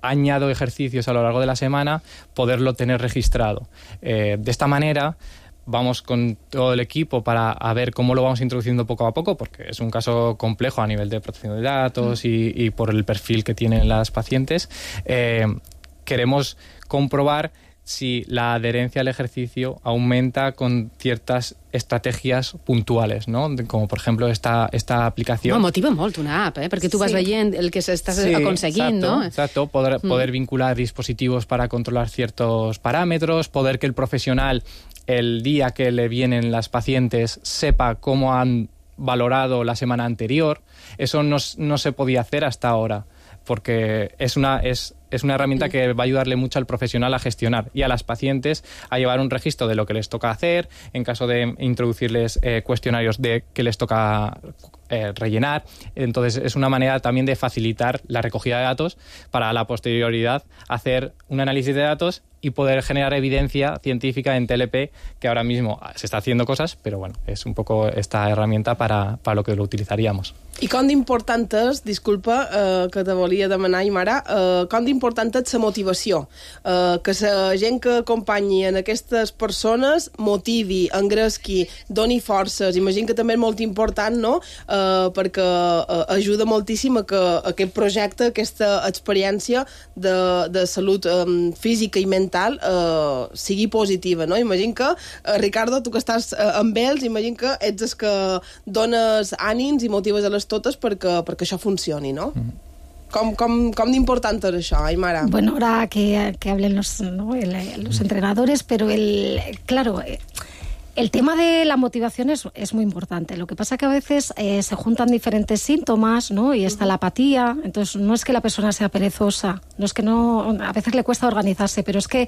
añado ejercicios a lo largo de la semana, poderlo tener registrado. De esta manera vamos con todo el equipo para ver cómo lo vamos introduciendo poco a poco, porque es un caso complejo a nivel de protección de datos y por el perfil que tienen las pacientes. Queremos comprobar si la adherencia al ejercicio aumenta con ciertas estrategias puntuales, ¿no? Como, por ejemplo, esta aplicación. Motiva molt una app, perquè tu vas veient el que s'estàs aconseguint, exacto, no? Exacto, poder vincular dispositivos para controlar ciertos parámetros, poder que el profesional, el día que le vienen las pacientes, sepa cómo han valorado la semana anterior. Eso no se podía hacer hasta ahora, porque es una herramienta que va a ayudarle mucho al profesional a gestionar y a las pacientes a llevar un registro de lo que les toca hacer, en caso de introducirles cuestionarios de que les toca rellenar. Entonces es una manera también de facilitar la recogida de datos para la posterioridad hacer un análisis de datos y poder generar evidencia científica en TLP, que ahora mismo se está haciendo cosas, pero bueno, es un poco esta herramienta para lo que lo utilizaríamos. I com d'important és, disculpa, que te volia demanar, Aimara, com d'important és la motivació, que la gent que acompanyi en aquestes persones motivi, engresqui, doni forces. Imagino que també és molt important, no?, perquè ajuda moltíssim a que aquest projecte, aquesta experiència de salut física i mental sigui positiva, no? Imagino que, Ricardo, tu que estàs amb ells, imagino que ets el que dones ànims i motives a les totes perquè això funcioni, no? Com d'important és això, Aimara? Bueno, ahora que hablen los entrenadores, pero claro, el tema de la motivación es muy importante. Lo que pasa que a veces se juntan diferentes síntomas, ¿no? Y está la apatía. Entonces, no es que la persona sea perezosa, no es que a veces le cuesta organizarse, pero es que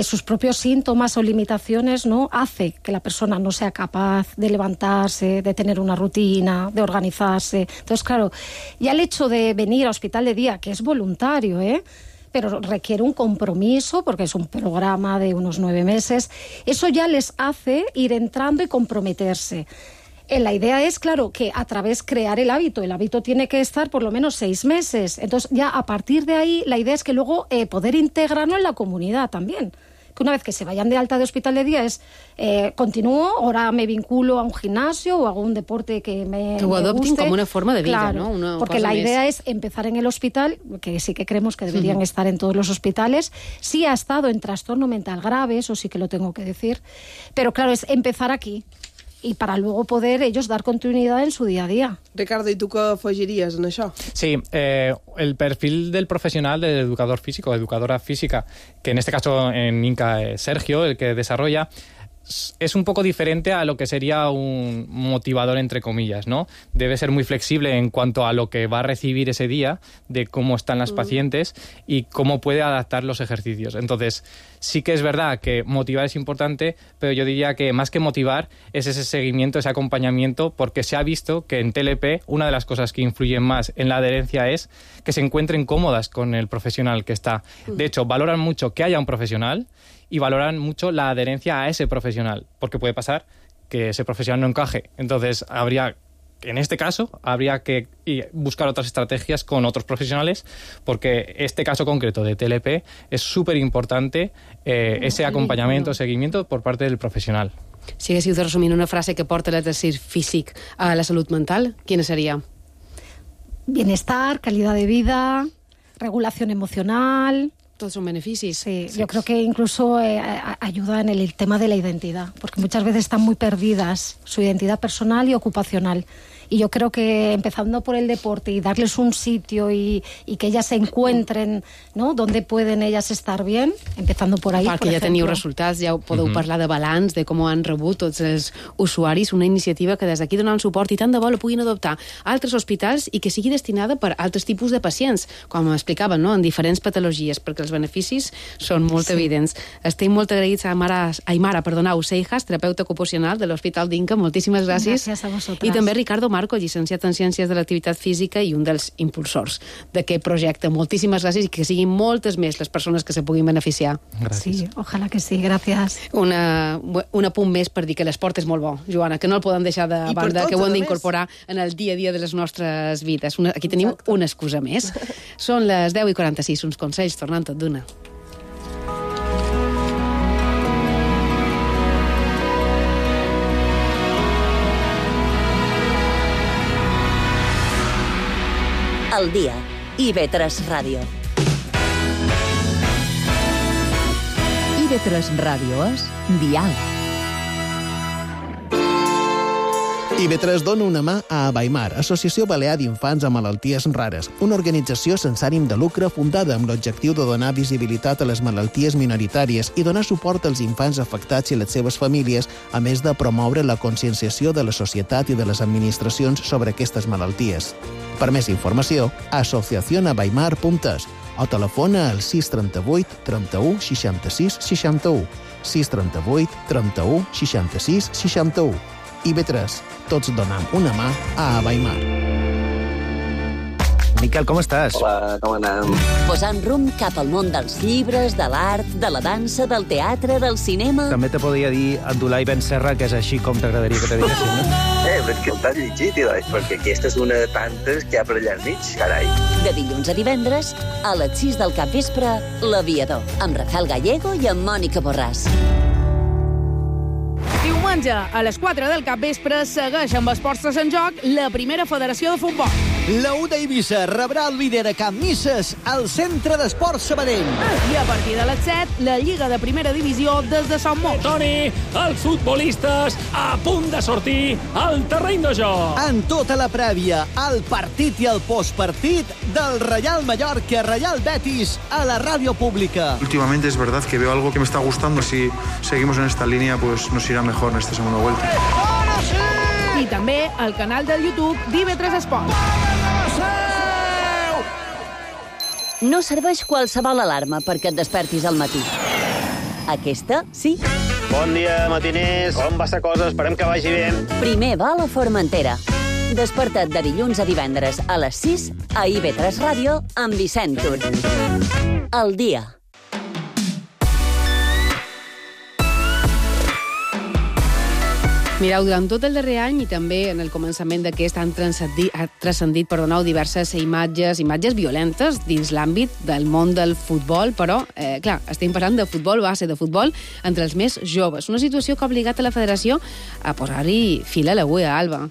sus propios síntomas o limitaciones, ¿no?, hace que la persona no sea capaz de levantarse, de tener una rutina, de organizarse. Entonces, claro, ya el hecho de venir a hospital de día, que es voluntario, pero requiere un compromiso porque es un programa de unos 9 meses, eso ya les hace ir entrando y comprometerse. La idea es, claro, que a través crear el hábito tiene que estar por lo menos 6 meses, entonces ya a partir de ahí la idea es que luego poder integrarlo en la comunidad también. Que una vez que se vayan de alta de hospital de día continúo, ahora me vinculo a un gimnasio o hago un deporte que me ho adoptin guste. com una forma de vida, claro, ¿no? porque la idea es empezar en el hospital, que sí que creemos que deberían estar en todos los hospitales. Sí ha estado en trastorno mental grave, eso sí que lo tengo que decir, pero claro, es empezar aquí y para luego poder ellos dar continuidad en su día a día. Ricardo, ¿y tú qué afegiries en això? Sí, el perfil del profesional, del educador físico, educadora física, que en este caso en INCA es Sergio, el que desarrolla, es un poco diferente a lo que sería un motivador, entre comillas, ¿no? Debe ser muy flexible en cuanto a lo que va a recibir ese día, de cómo están las pacientes y cómo puede adaptar los ejercicios. Entonces, sí que es verdad que motivar es importante, pero yo diría que más que motivar es ese seguimiento, ese acompañamiento, porque se ha visto que en TLP una de las cosas que influyen más en la adherencia es que se encuentren cómodas con el profesional que está. De hecho, valoran mucho que haya un profesional y valoran mucho la adherencia a ese profesional, porque puede pasar que ese profesional no encaje. Entonces, en este caso, habría que buscar otras estrategias con otros profesionales, porque este caso concreto de TLP es súper importante ese acompañamiento, seguimiento por parte del profesional. Si haguéssiu de resumir una frase que porta l'exercici físic a la salut mental, quina seria? Bienestar, calidad de vida, regulación emocional. Todos son beneficios. Sí, yo creo que incluso ayuda en el tema de la identidad, porque muchas veces están muy perdidas su identidad personal y ocupacional. Y yo creo que empezando por el deporte y darles un sitio y que ellas se encuentren, ¿no?, donde pueden ellas estar bien, empezando por ahí, perquè ja teniu resultats, ja podeu parlar de balanç, de com ho han rebut tots els usuaris, una iniciativa que des d'aquí donen suport i tant de bo la puguin adoptar a altres hospitals i que sigui destinada per altres tipus de pacients, com explicaven, no?, en diferents patologies, perquè els beneficis són molt evidents. Estem molt agraïts a Aimara Seijas, terapeuta ocupacional de l'Hospital d'Inca. Moltíssimes gràcies. Gràcies a vosaltres. I també Ricardo Marco, llicenciat en Ciències de l'Activitat Física i un dels impulsors d'aquest projecte. Moltíssimes gràcies i que siguin moltes més les persones que se puguin beneficiar. Gràcies. Sí, ojalà que sí, gràcies. Un apunt més per dir que l'esport és molt bo, Joana, que no el podem deixar de banda, que ho hem d'incorporar en el dia a dia de les nostres vides. Aquí tenim una excusa més. Són les 10:46, uns consells, tornant tot d'una. Al dia. IB3 Ràdio. IB3 Ràdio és diàleg. IB3 dona una mà a Abaimar, Associació Balear d'Infants amb Malalties Rares, una organització sense ànim de lucre fundada amb l'objectiu de donar visibilitat a les malalties minoritàries i donar suport als infants afectats i les seves famílies, a més de promoure la conscienciació de la societat i de les administracions sobre aquestes malalties. Per més informació, asociacionabaimar.es o telefona al 638 31 66 61, 638 31 66 61. IB3, tots donam una mà a Abaimar. Miquel, com estàs? Hola, com anem? Posant rumb cap al món dels llibres, de l'art, de la dansa, del teatre, del cinema... També te podria dir Abdulai Ben Serra, que és així com t'agradaria que te diguessin, no? Però és que el t'has llegit, perquè aquesta és una de tantes que hi ha per allà enmig, carai. De dilluns a divendres, a les 6 del capvespre, L'Aviador, amb Rafael Gallego i amb Mònica Borràs. Diumenge, a les 4 del capvespre, segueix amb esports en joc la primera federació de futbol. La U d'Eivissa rebrà el líder a Can Misses al Centre d'Esports Sabadell. I a partir de les 7, la Lliga de Primera Divisió des de Sant Mos. Toni, els futbolistes a punt de sortir al terreny de joc. En tota la prèvia, el partit i el postpartit del Real Mallorca, Real Betis, a la ràdio pública. Últimamente es verdad que veo algo que me está gustando. Si seguimos en esta línea, pues nos irá mejor en esta segunda vuelta. I també al canal del YouTube d'IV3 Esport. No serveix qualsevol alarma perquè et despertis al matí. Aquesta, sí. Bon dia, matiners. Com va la cosa? Esperem que vagi bé. Primer va a la Formentera. Desperta't de dilluns a divendres a les 6 a IB3 Ràdio amb Vicent Tur. El dia. Mireu, durant tot el darrer any i també en el començament d'aquest han transcendit diverses imatges violentes dins l'àmbit del món del futbol, però, clar, estem parlant de futbol base, de futbol entre els més joves. Una situació que ha obligat a la federació a posar-hi fil a l'agulla, Alba.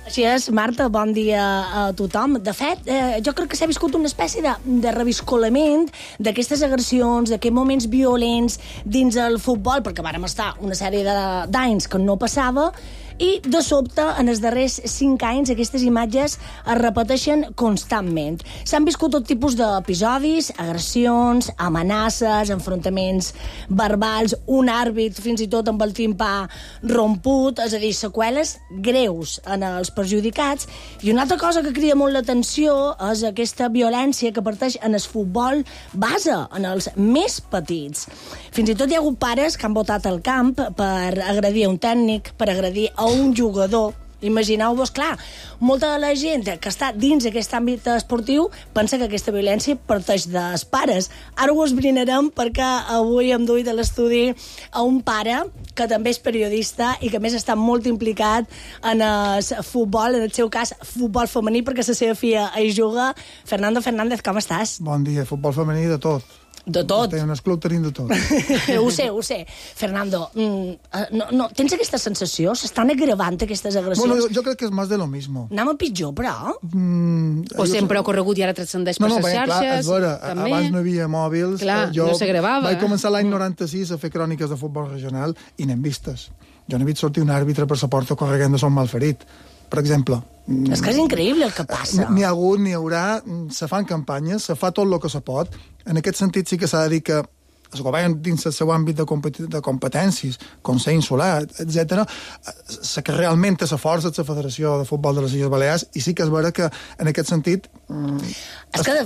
Així és, Marta, bon dia a tothom. De fet, jo crec que s'ha viscut una espècie de reviscolament d'aquestes agressions, d'aquests moments violents dins el futbol, perquè vàrem estar una sèrie d'anys que no passava, i de sobte, en els darrers 5 anys, aquestes imatges es repeteixen constantment. S'han viscut tot tipus d'episodis, agressions, amenaces, enfrontaments verbals, un àrbit fins i tot amb el timpà romput, és a dir, seqüeles greus en els perjudicats. I una altra cosa que crida molt l'atenció és aquesta violència que parteix en el futbol base, en els més petits. Fins i tot hi ha hagut pares que han botat al camp per agredir un tècnic, per agredir a un jugador. Imagineu-vos, clar, molta de la gent que està dins aquest àmbit esportiu pensa que aquesta violència parteix dels pares. Ara ho esbrinarem perquè avui hem duit a l'estudi a un pare que també és periodista i que a més està molt implicat en el futbol, en el seu cas futbol femení, perquè la seva filla hi juga. Fernando Fernández, com estàs? Bon dia, futbol femení de tot. De tot. En el club tenim de tot. Ho sé. Fernando, no, tens aquesta sensació? S'estan agravant aquestes agressions? Bueno, jo crec que és més de lo mismo. Anem a pitjor, però? O sempre ha corregut i ara transcendeix per les xarxes? Clar, és vera, abans no hi havia mòbils. Clar, no s'agravava. Vaig començar l'any 96 a fer cròniques de futbol regional i n'hem vistes. Jo n'he vist sortir un àrbitre per la porta corregent de son malferit, per exemple. És que és increïble el que passa. N'hi ha hagut, n'hi haurà, se fan campanyes, se fa tot el que se pot. En aquest sentit sí que s'ha de dir que el govern dins el seu àmbit de competències, Consell Insular, etc., que realment té la força de la Federació de Futbol de les Illes Balears, i sí que és vera que en aquest sentit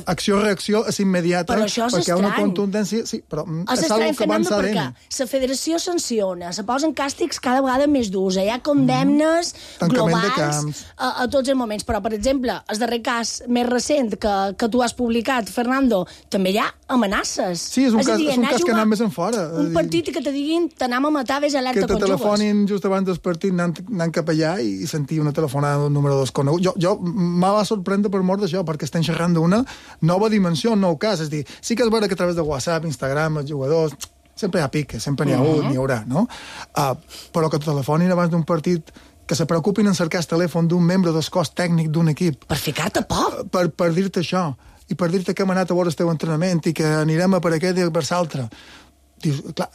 acció-reacció és immediata, però això és perquè hi ha una contundència, sí, però és algo que avança perquè la federació sanciona, se posen càstigs cada vegada més durs, hi ha condemnes globals a tots els moments, però per exemple, el darrer cas més recent que tu has publicat, Fernando, també hi ha amenaces. Sí, és un cas que anem més en fora. Un partit que te diguin t'anem a matar, ves alerta quan jugues. Que te telefonin just abans del partit anant cap allà i sentir una telefonada d'un número desconegut. Jo m'ha va sorprendre per mort d'això, perquè estem xerrant d'una nova dimensió, un nou cas. És a dir, sí que és vera que a través de WhatsApp, Instagram, els jugadors, sempre hi ha piques, sempre n'hi ha hagut, n'hi haurà, no? Però que te telefonin abans d'un partit, que se preocupin en cercar el telèfon d'un membre del cos tècnic d'un equip. Per ficar-te por. Per dir-te això. I per dir-te que hem anat a veure el teu entrenament i que anirem a per aquest i per l'altre. Dius, clar,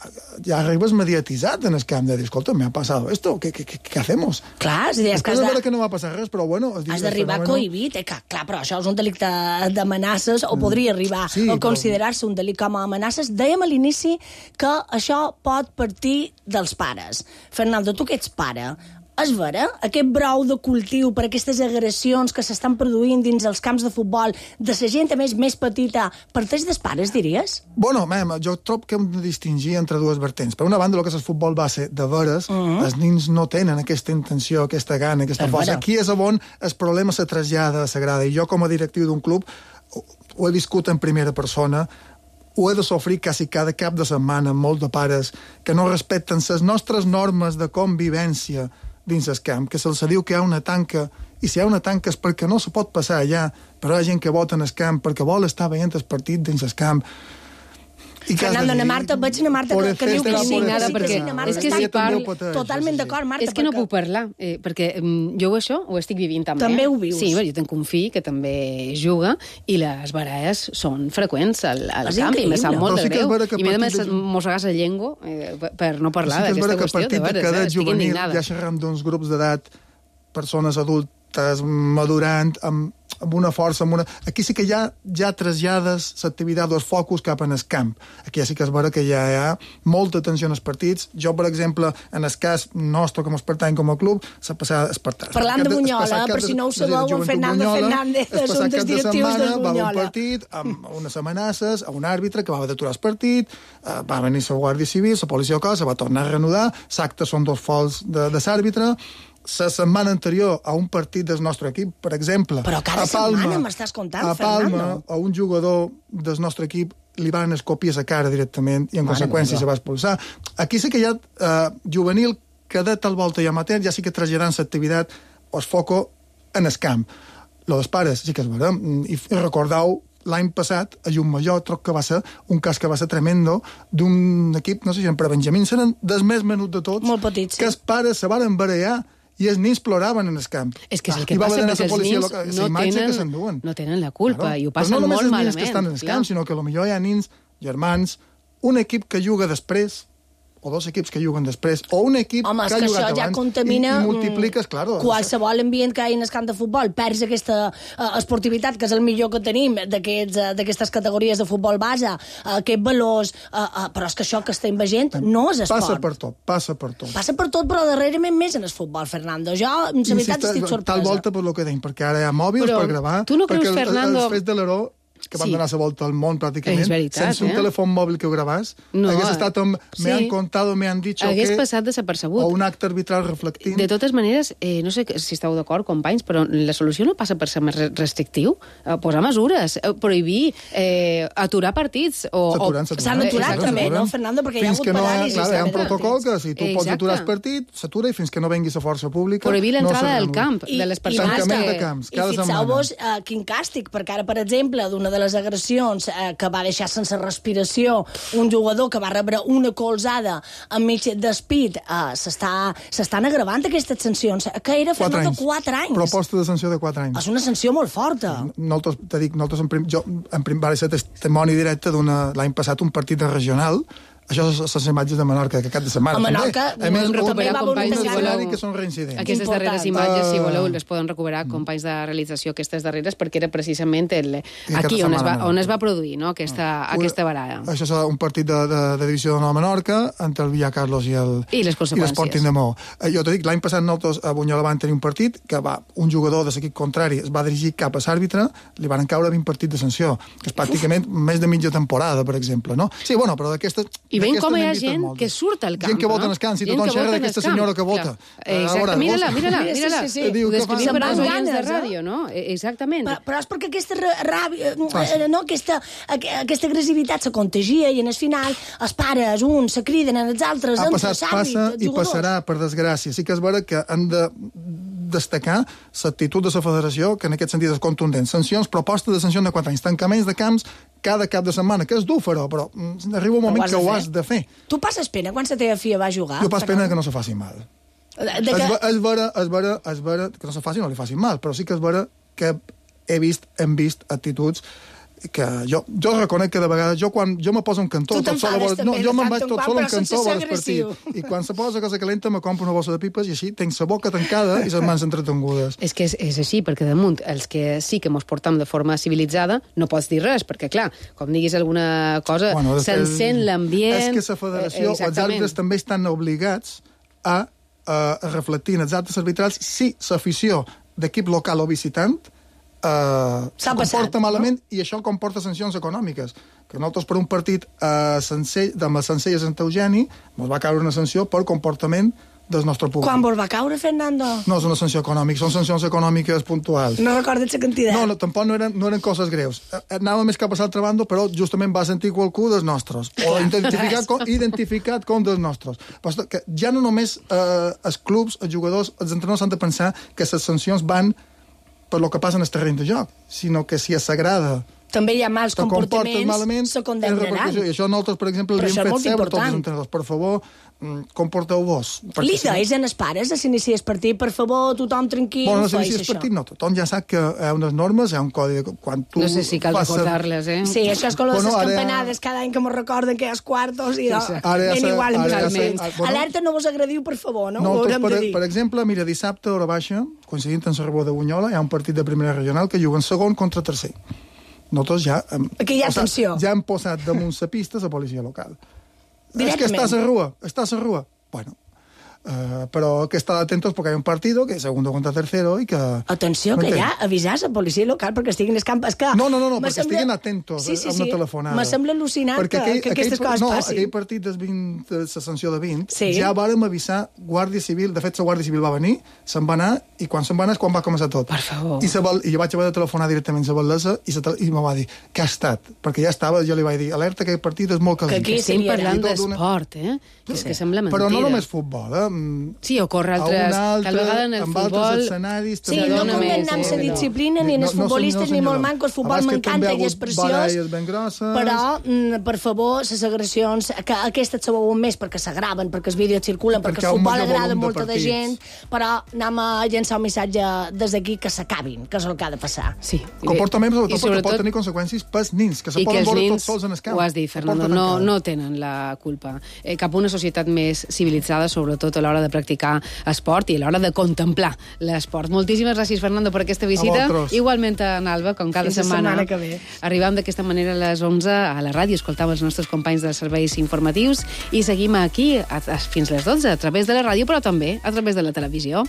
ja arribes mediatitzat en el camp de dir, escolta, me ha passat esto, ¿qué hacemos? Clar, és que que no va passar res, però bueno... Has d'arribar cohibit, clar, però això és un delicte d'amenaces, o podria arribar a considerar-se un delicte com a amenaces. Dèiem a l'inici que això pot partir dels pares. Fernando, tu que ets pare, És vera? Aquest brou de cultiu per aquestes agressions que s'estan produint dins els camps de futbol de la gent, a més petita, parteix dels pares, diries? Bueno, jo trobo que hem de distingir entre dues vertents. Per una banda, el que és el futbol base de veres, els nins no tenen aquesta intenció, aquesta gana, aquesta força. Aquí és on el problema se trasllada a la grada. I jo, com a directiu d'un club, ho he viscut en primera persona, ho he de sofrir quasi cada cap de setmana amb molts de pares que no respecten les nostres normes de convivència dins el camp, que se'ls diu que hi ha una tanca, i si hi ha una tanca és perquè no se pot passar allà, però hi ha gent que vota en el camp perquè vol estar veient el partit dins el camp. Fernando, veig una Marta que diu que sí, perquè és que si parlo... Totalment d'acord, Marta. És que no puc parlar, perquè jo això ho estic vivint també. També ho vius. Sí, jo tenc un fill que també juga i les baralles són freqüents al camp i me sap molt de greu. I m'he de mossegar la llengua per no parlar d'aquesta qüestió. Sí que és vera que a partit de cadet juvenil, ja xerram d'uns grups d'edat, persones adultes, madurant, amb una força, Aquí sí que ja trasllades l'activitat dels focus cap en el camp. Aquí sí que és vera que ja hi ha molta atenció en els partits. Jo, per exemple, en el cas nostre, com es pertany com a club, s'ha passat... Parlant de Bunyola, per si no ho sabeu, en Fernando Fernández és un dels directius del Bunyola. Va un partit amb unes amenaces a un àrbitre que va haver d'aturar el partit, va venir la Guàrdia Civil, la policia local, se va tornar a reanudar, l'acte són 2 fols de l'àrbitre. La setmana anterior a un partit del nostre equip, per exemple... Però cada setmana m'estàs contant, Fernando. A Palma, a un jugador del nostre equip li van escopir a la cara directament i en conseqüència se va expulsar. Aquí sí que hi ha juvenil, cadet al volta i amateur, ja sí que traslladant l'activitat o el foco en el camp. Lo dels pares sí que és vera. I recordeu l'any passat, a Llumajor, troc que va ser un cas que va ser tremendo, d'un equip, no sé si eren per Benjamins, eren dels més menuts de tots, molt petits, que els pares se van barallar i els nins ploraven en el camp. És que és el que passa, perquè els nins no tenen la culpa i ho passen molt malament. Però no només els nins que estan en el camp, sinó que potser hi ha nins, germans, un equip que juga després, o 2 equips que juguen després, o un equip que ha jugat abans, que això ja contamina i multipliques, claro. Qualsevol ambient que hi ha en el camp de futbol, perds aquesta esportivitat, que és el millor que tenim d'aquestes categories de futbol base, aquests valors, però és que això que estem veient no és esport. Passa per tot. Passa per tot, però darrerament més en el futbol, Fernando. Jo, en la veritat, estic sorpresa. Tal volta per lo que deim, perquè ara hi ha mòbils per gravar, tu no creus, Fernando... els fets de l'Heró que van donar la volta al món, pràcticament, sense un telèfon mòbil que ho gravàs, hagués estat amb me han contado, me han dicho hagués que... passat desapercebut. O un acte arbitral reflectint. De totes maneres, no sé si esteu d'acord, companys, però la solució no passa per ser més restrictiu, posar mesures, prohibir, aturar partits... S'han aturat també, no, Fernando? Perquè hi ha hagut paràlisis. Hi ha un protocol que si tu pots aturar el partit, s'atura i fins que no vengui la força pública... Prohibir l'entrada al camp de les persones. Tancament de camps, cada setmana. I fixeu-vos quin càstig, perquè ara, per exemple, d'una de les agressions que va deixar sense respiració un jugador que va rebre una colzada enmig despit, s'estan agravant aquestes sancions, que era de 4 anys. Proposta de sanció de 4 anys. És una sanció molt forta. Nosaltres jo vaig ser testimoni directe l'any passat un partit de regional. Això són les imatges de Menorca, que cap de setmana. A Menorca, també recuperar, companys, si voleu, que són reincidents. Aquestes darreres imatges, si voleu, les poden recuperar, companys de realització, aquestes darreres, perquè era precisament aquí on es va produir, no?, aquesta baralla. Això és un partit de divisió de Nova Menorca, entre el Villa Carlos i l'Sporting de Maó. Jo t'ho dic, l'any passat nosaltres a Bunyola van tenir un partit que un jugador de l'equip contrari es va dirigir cap a l'àrbitre, li van caure 20 partits de sanció, que és pràcticament més de mitja temporada, per exemple, no? Sí, bueno, però d'aquestes... I veiem com hi ha gent que surt al camp, gent que vota en el camp, si tothom xerra d'aquesta senyora que vota. Exacte, mira-la. Sí. Ho descrivim per als oients de ràdio, no? Exactament. Però és perquè aquesta ràbia, aquesta agressivitat se contagia i en el final els pares, uns se criden, els altres... Ha passat, passa i passarà, per desgràcia. Sí que és vera que han de destacar l'actitud de la federació, que en aquest sentit és contundent. Sancions, proposta de sanció de 4 anys, tancaments de camps cada cap de setmana, que és dur fer-ho, però arriba un moment que ho has de fer. Tu passes pena quan la teva filla va jugar? Jo passo pena que no se faci mal. És vera que no se faci, no li faci mal, però sí que és vera que hem vist actituds que jo reconec que de vegades quan jo me poso en cantó jo me'n vaig tot sol en cantó a l'espartit i quan se posa cosa calenta me compro una bossa de pipes i així tenc la boca tancada i les mans entretengudes. És que és així, perquè damunt els que sí que mos portam de forma civilitzada no pots dir res, perquè clar, com diguis alguna cosa s'encén l'ambient. És que la federació o els àrbitres també estan obligats a reflectir en els actes arbitrals si l'afició d'equip local o visitant S'ha passat, comporta malament, i això comporta sancions econòmiques. Que nosaltres per un partit amb el Sencelles Sant Eugeni ens va caure una sanció per comportament del nostre públic. Quan vos va caure, Fernando? No és una sanció econòmica, són sancions econòmiques puntuals. No recordes la quantitat? No, tampoc no eren coses greus. Anava més cap a l'altra banda, però justament va sentir qualcú dels nostres. O identificat com dels nostres. Però que ja no només els clubs, els jugadors, els entrenadors han de pensar que les sancions van per lo que passa en el terreny de joc, sinó que si s'agrada també hi ha mals comportaments, se condemnaran. I això nosaltres, per exemple, li hem fet seure a tots els entrenadors. Per favor, comporteu-vos. Li deis en els pares a s'inicia el partit, per favor, tothom tranquil, no s'inicia el partit, no. Tothom ja sap que hi ha unes normes, hi ha un codi de... No sé si cal recordar-les, eh? Sí, això és com les campanades, cada any que mos recorden que hi ha els quartos i ben igual. Alerta, no vos agradiu, per favor, no? Per exemple, mira, dissabte a Hora Baixa, coincidint amb la Rebó de Bunyola, hi ha un partit de primera regional que juguen segon contra tercer. Nosaltres ja... Aquí hi ha tensió. Ja hem posat damunt la pista la policia local. Directament. És que està a la rua. Bueno, però que estar atentos porque hay un partido que es segundo contra tercero y que... Atenció, que ja avisar a la policia local perquè estiguin escampes. No, perquè estiguin atentos a una telefonada. Me sembla al·lucinant que aquestes coses passin. Aquell partit de la sanció de 20, ja vàrem avisar Guàrdia Civil, de fet la Guàrdia Civil va venir, se'n va anar, i quan se'n va anar és quan va començar tot. Per favor. I jo vaig haver de telefonar directament a la batllessa i me va dir, què ha estat? Perquè ja estava, jo li vaig dir, alerta, que aquest partit és molt calent. Que aquí estem parlant d'esport, eh? És que sembla mentida. Però no només futbol, Sí, ocorre altres... Tal vegada en el futbol... Sí, no condemnem la disciplina ni en els futbolistes ni molt manco. El futbol m'encanta i és preciós. Però, per favor, les agressions, que aquestes se veuen més perquè s'agraven, perquè els vídeos circulen, perquè el futbol agrada a molta de gent, però anem a llençar un missatge des d'aquí que s'acabin, que és el que ha de passar. Sí. Comportament, sobretot, perquè pot tenir conseqüències pels nins, que se poden veure tots sols en el camp. Ho has dit, Fernando, no tenen la culpa. Cap a una societat més civilitzada, sobretot a l'hora de practicar esport i a l'hora de contemplar l'esport. Moltíssimes gràcies, Fernando, per aquesta visita. Igualment en Alba, com cada setmana. Arribam d'aquesta manera a les 11 a la ràdio, escoltam els nostres companys dels serveis informatius i seguim aquí fins les 12 a través de la ràdio, però també a través de la televisió.